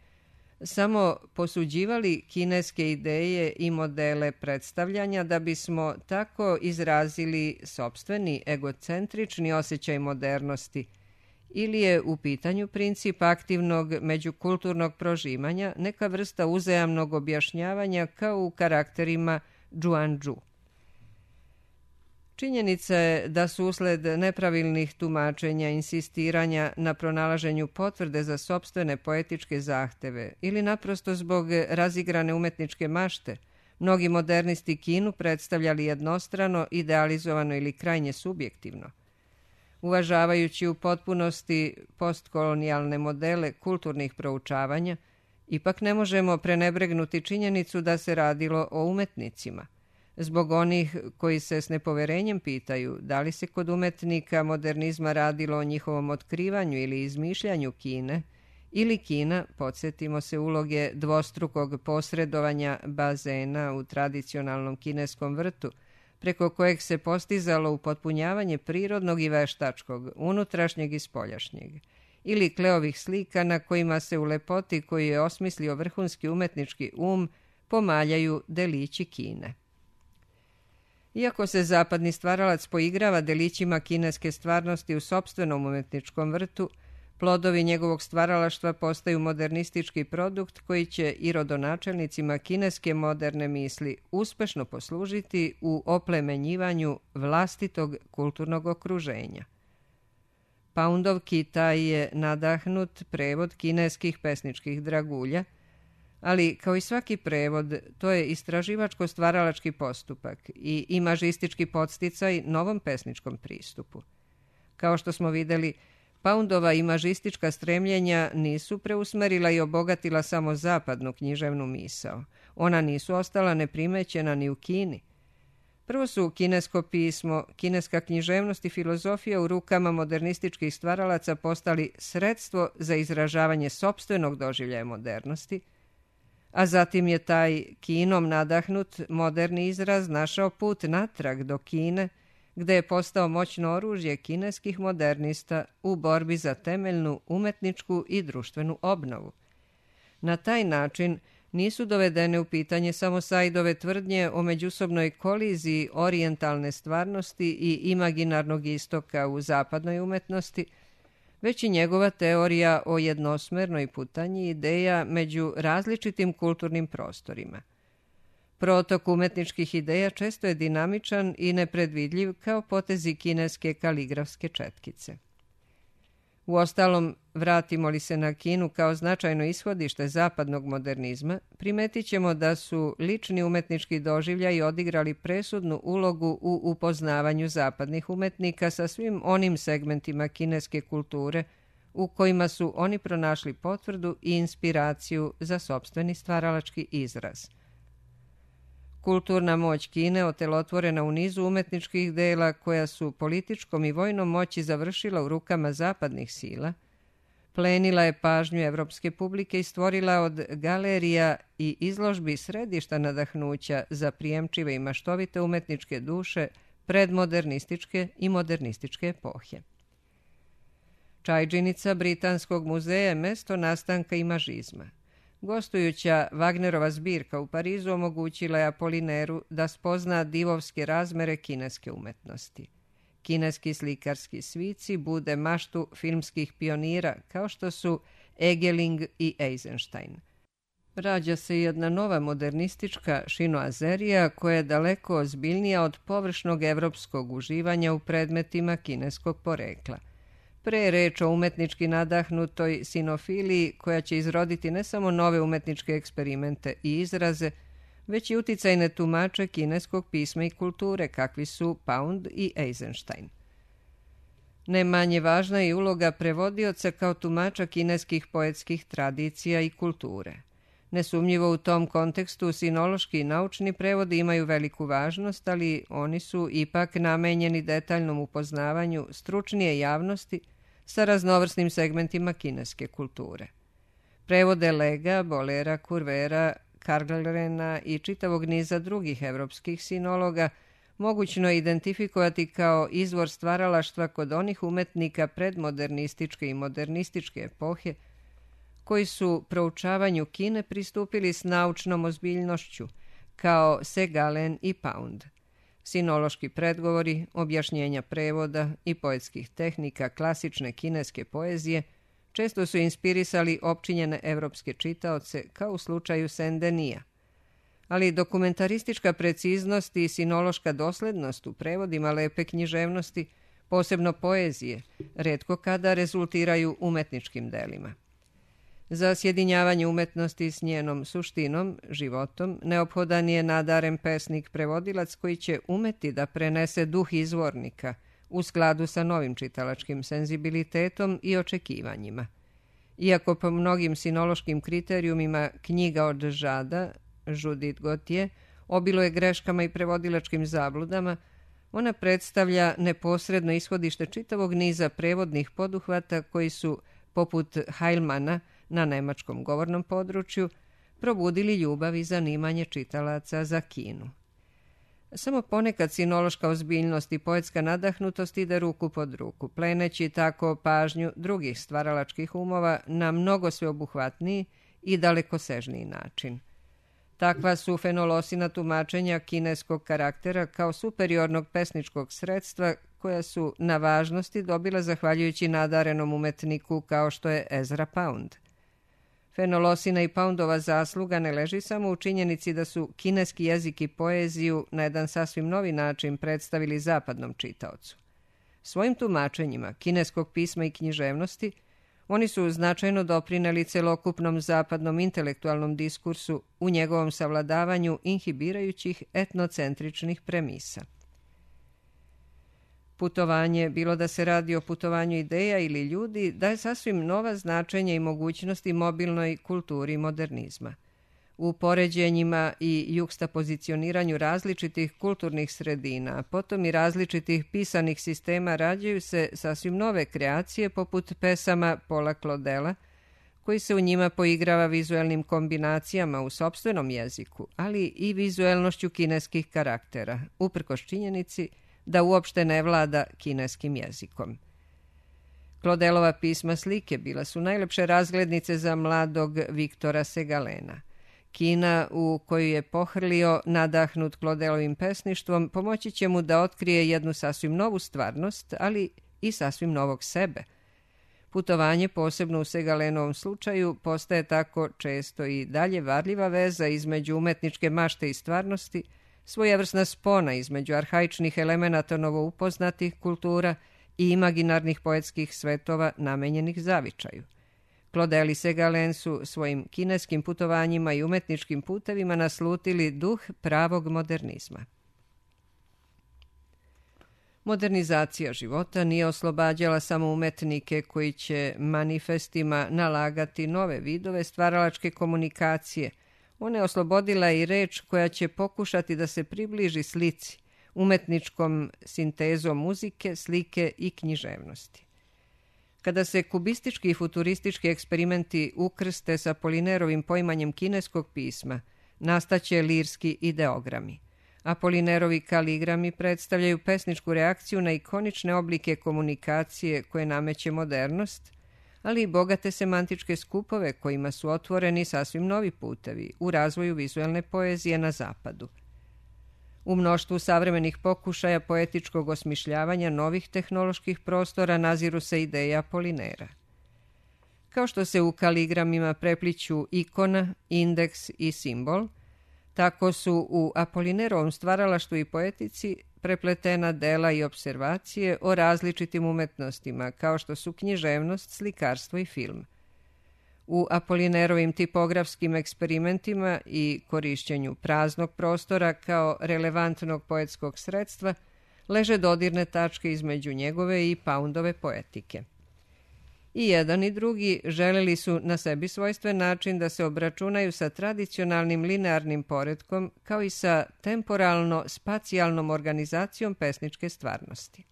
S1: samo posuđivali kineske ideje i modele predstavljanja da bismo tako izrazili sopstveni egocentrični osjećaj modernosti, ili je u pitanju princip aktivnog međukulturnog prožimanja, neka vrsta uzajamnog objašnjavanja kao u karakterima Zhuangzhu. Činjenica je da su usled nepravilnih tumačenja, insistiranja na pronalaženju potvrde za sopstvene poetičke zahteve ili naprosto zbog razigrane umetničke mašte, mnogi modernisti Kinu predstavljali jednostrano, idealizovano ili krajnje subjektivno. Uvažavajući u potpunosti postkolonijalne modele kulturnih proučavanja, ipak ne možemo prenebregnuti činjenicu da se radilo o umetnicima. Zbog onih koji se s nepoverenjem pitaju da li se kod umetnika modernizma radilo o njihovom otkrivanju ili izmišljanju Kine, ili Kina, podsjetimo se uloge dvostrukog posredovanja bazena u tradicionalnom kineskom vrtu, preko kojeg se postizalo upotpunjavanje prirodnog i veštačkog, unutrašnjeg i spoljašnjeg, ili Kleovih slika na kojima se u lepoti koju je osmislio vrhunski umetnički um pomaljaju delići Kine. Iako se zapadni stvaralac poigrava delićima kineske stvarnosti u sopstvenom umetničkom vrtu, plodovi njegovog stvaralaštva postaju modernistički produkt koji će i rodonačelnicima kineske moderne misli uspešno poslužiti u oplemenjivanju vlastitog kulturnog okruženja. Poundov Kitaj je nadahnut prevod kineskih pesničkih dragulja, ali kao i svaki prevod, to je istraživačko-stvaralački postupak i imažistički podsticaj novom pesničkom pristupu. Kao što smo videli, Poundova imažistička stremljenja nisu preusmerila i obogatila samo zapadnu književnu misao. Ona nisu ostala neprimećena ni u Kini. Prvo su kinesko pismo, kineska književnost i filozofija u rukama modernističkih stvaralaca postali sredstvo za izražavanje sopstvenog doživljaja modernosti, a zatim je taj Kinom nadahnut moderni izraz našao put natrag do Kine, gde je postao moćno oružje kineskih modernista u borbi za temeljnu umetničku i društvenu obnovu. Na taj način nisu dovedene u pitanje samo Saidove tvrdnje o međusobnoj koliziji orijentalne stvarnosti i imaginarnog istoka u zapadnoj umetnosti, već i njegova teorija o jednosmernoj putanji ideja među različitim kulturnim prostorima. Protok umetničkih ideja često je dinamičan i nepredvidljiv kao potezi kineske kaligrafske četkice. Uostalom, vratimo li se na Kinu kao značajno ishodište zapadnog modernizma, primetit ćemo da su lični umetnički doživljaji odigrali presudnu ulogu u upoznavanju zapadnih umetnika sa svim onim segmentima kineske kulture u kojima su oni pronašli potvrdu i inspiraciju za sopstveni stvaralački izraz. Kulturna moć Kine otelotvorena u nizu umetničkih dela koja su političkom i vojnom moći završila u rukama zapadnih sila, plenila je pažnju evropske publike i stvorila od galerija i izložbi središta nadahnuća za prijemčive i maštovite umetničke duše predmodernističke i modernističke epohe. Čajdžinica Britanskog muzeja je mesto nastanka imažizma. Gostujuća Wagnerova zbirka u Parizu omogućila je Apolineru da spozna divovske razmere kineske umetnosti. Kineski slikarski svici bude maštu filmskih pionira kao što su Egeling i Eisenstein. Rađa se jedna nova modernistička šinoazerija koja je daleko ozbiljnija od površnog evropskog uživanja u predmetima kineskog porekla. Pre je reč o umetnički nadahnutoj sinofiliji koja će izroditi ne samo nove umetničke eksperimente i izraze, već i uticajne tumače kineskog pisma i kulture, kakvi su Pound i Eisenstein. Ne manje važna je uloga prevodioca kao tumača kineskih poetskih tradicija i kulture. Nesumnjivo u tom kontekstu sinološki i naučni prevodi imaju veliku važnost, ali oni su ipak namenjeni detaljnom upoznavanju stručnije javnosti sa raznovrsnim segmentima kineske kulture. Prevode Lega, Bolera, Kurvera, Karglrena i čitavog niza drugih evropskih sinologa mogućno je identifikovati kao izvor stvaralaštva kod onih umetnika predmodernističke i modernističke epohe koji su proučavanju Kine pristupili s naučnom ozbiljnošću, kao Segalen i Pound. Sinološki predgovori, objašnjenja prevoda i poetskih tehnika klasične kineske poezije često su inspirisali opčinjene evropske čitaoce, kao u slučaju Saint-Denis. Ali dokumentaristička preciznost i sinološka doslednost u prevodima lepe književnosti, posebno poezije, retko kada rezultiraju umetničkim delima. Za sjedinjavanje umetnosti s njenom suštinom, životom, neophodan je nadaren pesnik-prevodilac koji će umeti da prenese duh izvornika u skladu sa novim čitalačkim senzibilitetom i očekivanjima. Iako po mnogim sinološkim kriterijumima knjiga od Žada, Judith Gautier, obiluje greškama i prevodilačkim zabludama, ona predstavlja neposredno ishodište čitavog niza prevodnih poduhvata koji su, poput Heilmana, na nemačkom govornom području, probudili ljubav i zanimanje čitalaca za Kinu. Samo ponekad sinološka ozbiljnost i poetska nadahnutost ide ruku pod ruku, pleneći tako pažnju drugih stvaralačkih umova na mnogo sveobuhvatniji i dalekosežniji način. Takva su fenolosina tumačenja kineskog karaktera kao superiornog pesničkog sredstva koja su na važnosti dobila zahvaljujući nadarenom umetniku kao što je Ezra Pound. Fenolosina i Poundova zasluga ne leži samo u činjenici da su kineski jezik i poeziju na jedan sasvim novi način predstavili zapadnom čitaocu. Svojim tumačenjima kineskog pisma i književnosti oni su značajno doprineli celokupnom zapadnom intelektualnom diskursu u njegovom savladavanju inhibirajućih etnocentričnih premisa. Putovanje, bilo da se radi o putovanju ideja ili ljudi, daje sasvim nova značenja i mogućnosti mobilnoj kulturi modernizma. U poređenjima i jukstapozicioniranju različitih kulturnih sredina, potom i različitih pisanih sistema rađaju se sasvim nove kreacije poput pesama Paula Claudela, koji se u njima poigrava vizuelnim kombinacijama u sopstvenom jeziku, ali i vizuelnošću kineskih karaktera, uprkos činjenici da uopšte ne vlada kineskim jezikom. Claudelova pisma slike bila su najlepše razglednice za mladog Viktora Segalena. Kina u koju je pohrlio, nadahnut Claudelovim pesništvom, pomoći će mu da otkrije jednu sasvim novu stvarnost, ali i sasvim novog sebe. Putovanje, posebno u Segalenovom slučaju, postaje tako često i dalje varljiva veza između umetničke mašte i stvarnosti, svojevrsna spona između arhaičnih elemenata novoupoznatih kultura i imaginarnih poetskih svetova namenjenih zavičaju. Claudel i Segalen su svojim kineskim putovanjima i umetničkim putevima naslutili duh pravog modernizma. Modernizacija života nije oslobađala samo umetnike koji će manifestima nalagati nove vidove stvaralačke komunikacije. Ona je oslobodila i reč koja će pokušati da se približi slici, umetničkom sintezom muzike, slike i književnosti. Kada se kubistički i futuristički eksperimenti ukrste sa Apolinerovim poimanjem kineskog pisma, nastaće lirski ideogrami. Apolinerovi kaligrami predstavljaju pesničku reakciju na ikonične oblike komunikacije koje nameće modernost, ali i bogate semantičke skupove kojima su otvoreni sasvim novi putevi u razvoju vizuelne poezije na zapadu. U mnoštvu savremenih pokušaja poetičkog osmišljavanja novih tehnoloških prostora naziru se ideje Apolinera. Kao što se u kaligramima prepliću ikona, indeks i simbol, tako su u Apolinerovom stvaralaštvu i poetici prepletena dela i observacije o različitim umetnostima, kao što su književnost, slikarstvo i film. U Apolinerovim tipografskim eksperimentima i korišćenju praznog prostora kao relevantnog poetskog sredstva leže dodirne tačke između njegove i Poundove poetike. I jedan i drugi želeli su na sebi svojstven način da se obračunaju sa tradicionalnim linearnim poretkom kao i sa temporalno-spacijalnom organizacijom pesničke stvarnosti.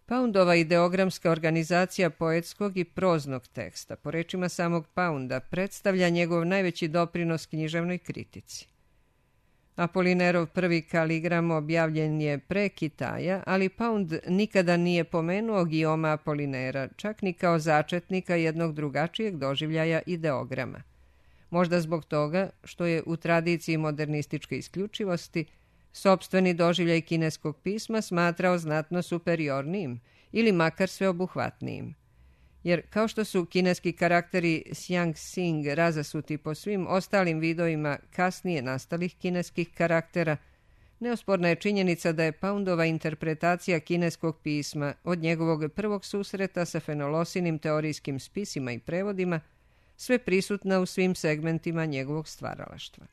S1: Poundova ideogramska organizacija poetskog i proznog teksta, po rečima samog Pounda, predstavlja njegov najveći doprinos književnoj kritici. Apolinerov prvi kaligram objavljen je pre Kitaja, ali Pound nikada nije pomenuo Guillauma Apolinera, čak ni kao začetnika jednog drugačijeg doživljaja ideograma. Možda zbog toga što je u tradiciji modernističke isključivosti sopstveni doživljaj kineskog pisma smatrao znatno superiornijim ili makar sveobuhvatnijim. Jer kao što su kineski karakteri Xiang-Xing razasuti po svim ostalim vidovima kasnije nastalih kineskih karaktera, neosporna je činjenica da je Poundova interpretacija kineskog pisma od njegovog prvog susreta sa fenolosinim teorijskim spisima i prevodima sve prisutna u svim segmentima njegovog stvaralaštva.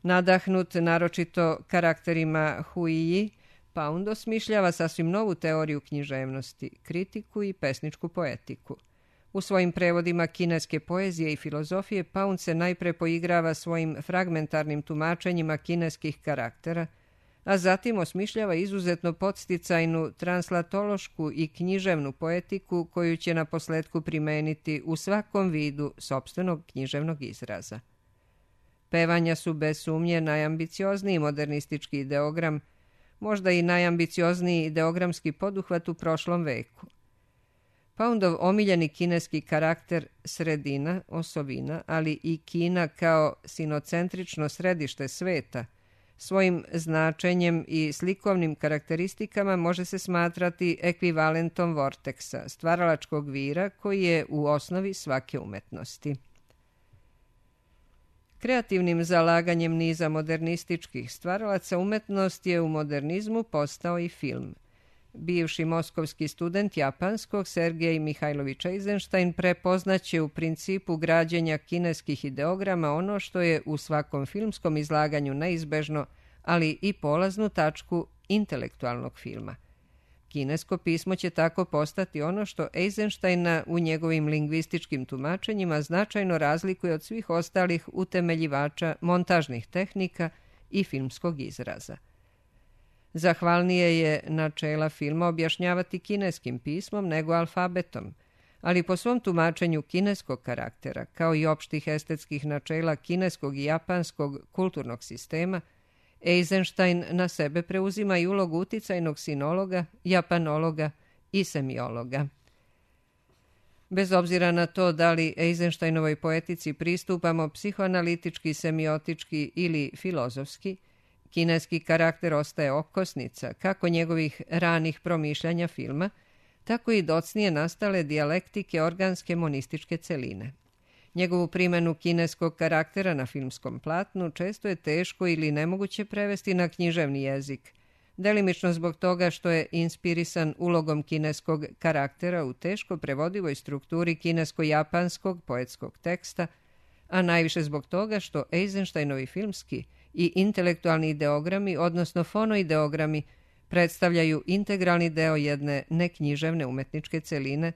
S1: Nadahnut naročito karakterima Huiji, Pound osmišljava sasvim novu teoriju književnosti, kritiku i pesničku poetiku. U svojim prevodima kineske poezije i filozofije Pound se najpre poigrava svojim fragmentarnim tumačenjima kineskih karaktera, a zatim osmišljava izuzetno podsticajnu translatološku i književnu poetiku koju će na posledku primeniti u svakom vidu sopstvenog književnog izraza. Pevanja su bez sumnje najambiciozniji modernistički ideogram, možda i najambiciozniji ideogramski poduhvat u prošlom veku. Poundov omiljeni kineski karakter sredina, osovina, ali i Kina kao sinocentrično središte sveta, svojim značenjem i slikovnim karakteristikama može se smatrati ekvivalentom vorteksa, stvaralačkog vira koji je u osnovi svake umetnosti. Kreativnim zalaganjem niza modernističkih stvaralaca umetnost je u modernizmu postao i film. Bivši moskovski student japanskog Sergej Mihajlović Eisenstein prepoznaće u principu građenja kineskih ideograma ono što je u svakom filmskom izlaganju neizbežno, ali i polaznu tačku intelektualnog filma. Kinesko pismo će tako postati ono što Eisensteina u njegovim lingvističkim tumačenjima značajno razlikuje od svih ostalih utemeljivača montažnih tehnika i filmskog izraza. Zahvalnije je načela filma objašnjavati kineskim pismom nego alfabetom, ali po svom tumačenju kineskog karaktera, kao i opštih estetskih načela kineskog i japanskog kulturnog sistema, Eisenstein na sebe preuzima i ulogu uticajnog sinologa, japanologa i semiologa. Bez obzira na to da li Eisensteinovoj poetici pristupamo psihoanalitički, semiotički ili filozofski, kineski karakter ostaje okosnica kako njegovih ranih promišljanja filma, tako i docnije nastale dijalektike organske monističke celine. Njegovu primjenu kineskog karaktera na filmskom platnu često je teško ili nemoguće prevesti na književni jezik, delimično zbog toga što je inspirisan ulogom kineskog karaktera u teško prevodivoj strukturi kinesko-japanskog poetskog teksta, a najviše zbog toga što Eisensteinovi filmski i intelektualni ideogrami, odnosno fonoideogrami, predstavljaju integralni deo jedne neknjiževne umetničke celine,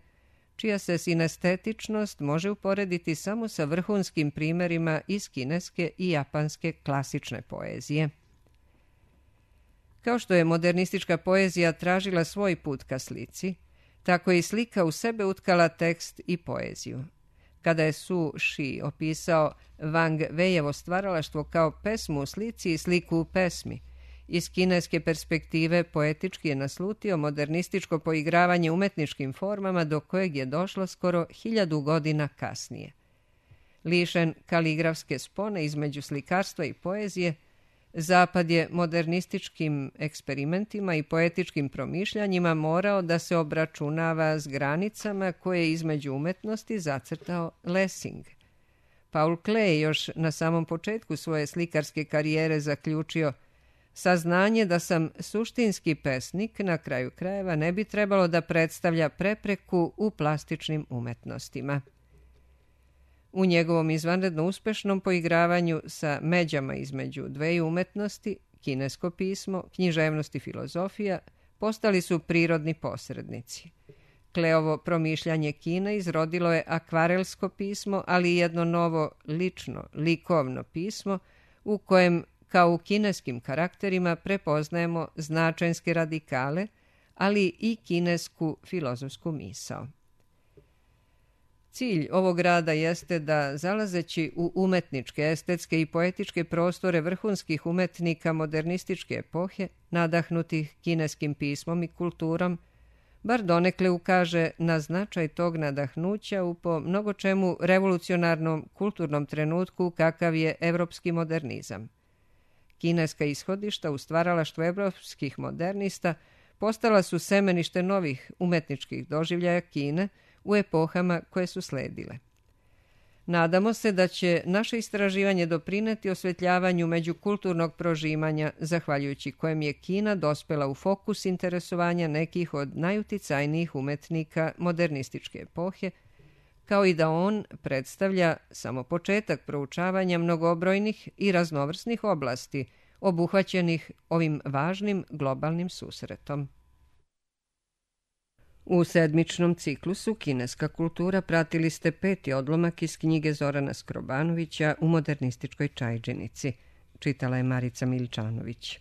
S1: čija se sinestetičnost može uporediti samo sa vrhunskim primerima iz kineske i japanske klasične poezije. Kao što je modernistička poezija tražila svoj put ka slici, tako je i slika u sebe utkala tekst i poeziju. Kada je Su Shi opisao Wang Weijevo stvaralaštvo kao pesmu u slici i sliku u pesmi, iz kineske perspektive poetički je naslutio modernističko poigravanje umetničkim formama do kojeg je došlo skoro hiljadu godina kasnije. Lišen kaligrafske spone između slikarstva i poezije, Zapad je modernističkim eksperimentima i poetičkim promišljanjima morao da se obračunava s granicama koje je između umetnosti zacrtao Lessing. Paul Klee još na samom početku svoje slikarske karijere zaključio: saznanje da sam suštinski pesnik na kraju krajeva ne bi trebalo da predstavlja prepreku u plastičnim umetnostima. U njegovom izvanredno uspešnom poigravanju sa međama između dveju umetnosti, kinesko pismo, književnost i filozofija, postali su prirodni posrednici. Kleovo promišljanje Kine izrodilo je akvarelsko pismo, ali i jedno novo lično, likovno pismo u kojem, kao u kineskim karakterima, prepoznajemo značajske radikale, ali i kinesku filozofsku misao. Cilj ovog rada jeste da, zalazeći u umetničke, estetske i poetičke prostore vrhunskih umetnika modernističke epohe, nadahnutih kineskim pismom i kulturom, bar donekle ukaže na značaj tog nadahnuća u po mnogo čemu revolucionarnom kulturnom trenutku kakav je evropski modernizam. Kineska ishodišta u stvaralaštvu evropskih modernista postala su semenište novih umetničkih doživljaja Kine u epohama koje su sledile. Nadamo se da će naše istraživanje doprineti osvetljavanju međukulturnog prožimanja, zahvaljujući kojem je Kina dospela u fokus interesovanja nekih od najuticajnijih umetnika modernističke epohe, kao i da on predstavlja samo početak proučavanja mnogobrojnih i raznovrsnih oblasti obuhvaćenih ovim važnim globalnim susretom. U sedmičnom ciklusu Kineska kultura pratili ste peti odlomak iz knjige Zorana Skrobanovića U modernističkoj čajdžinici. Čitala je Marica Miličanović.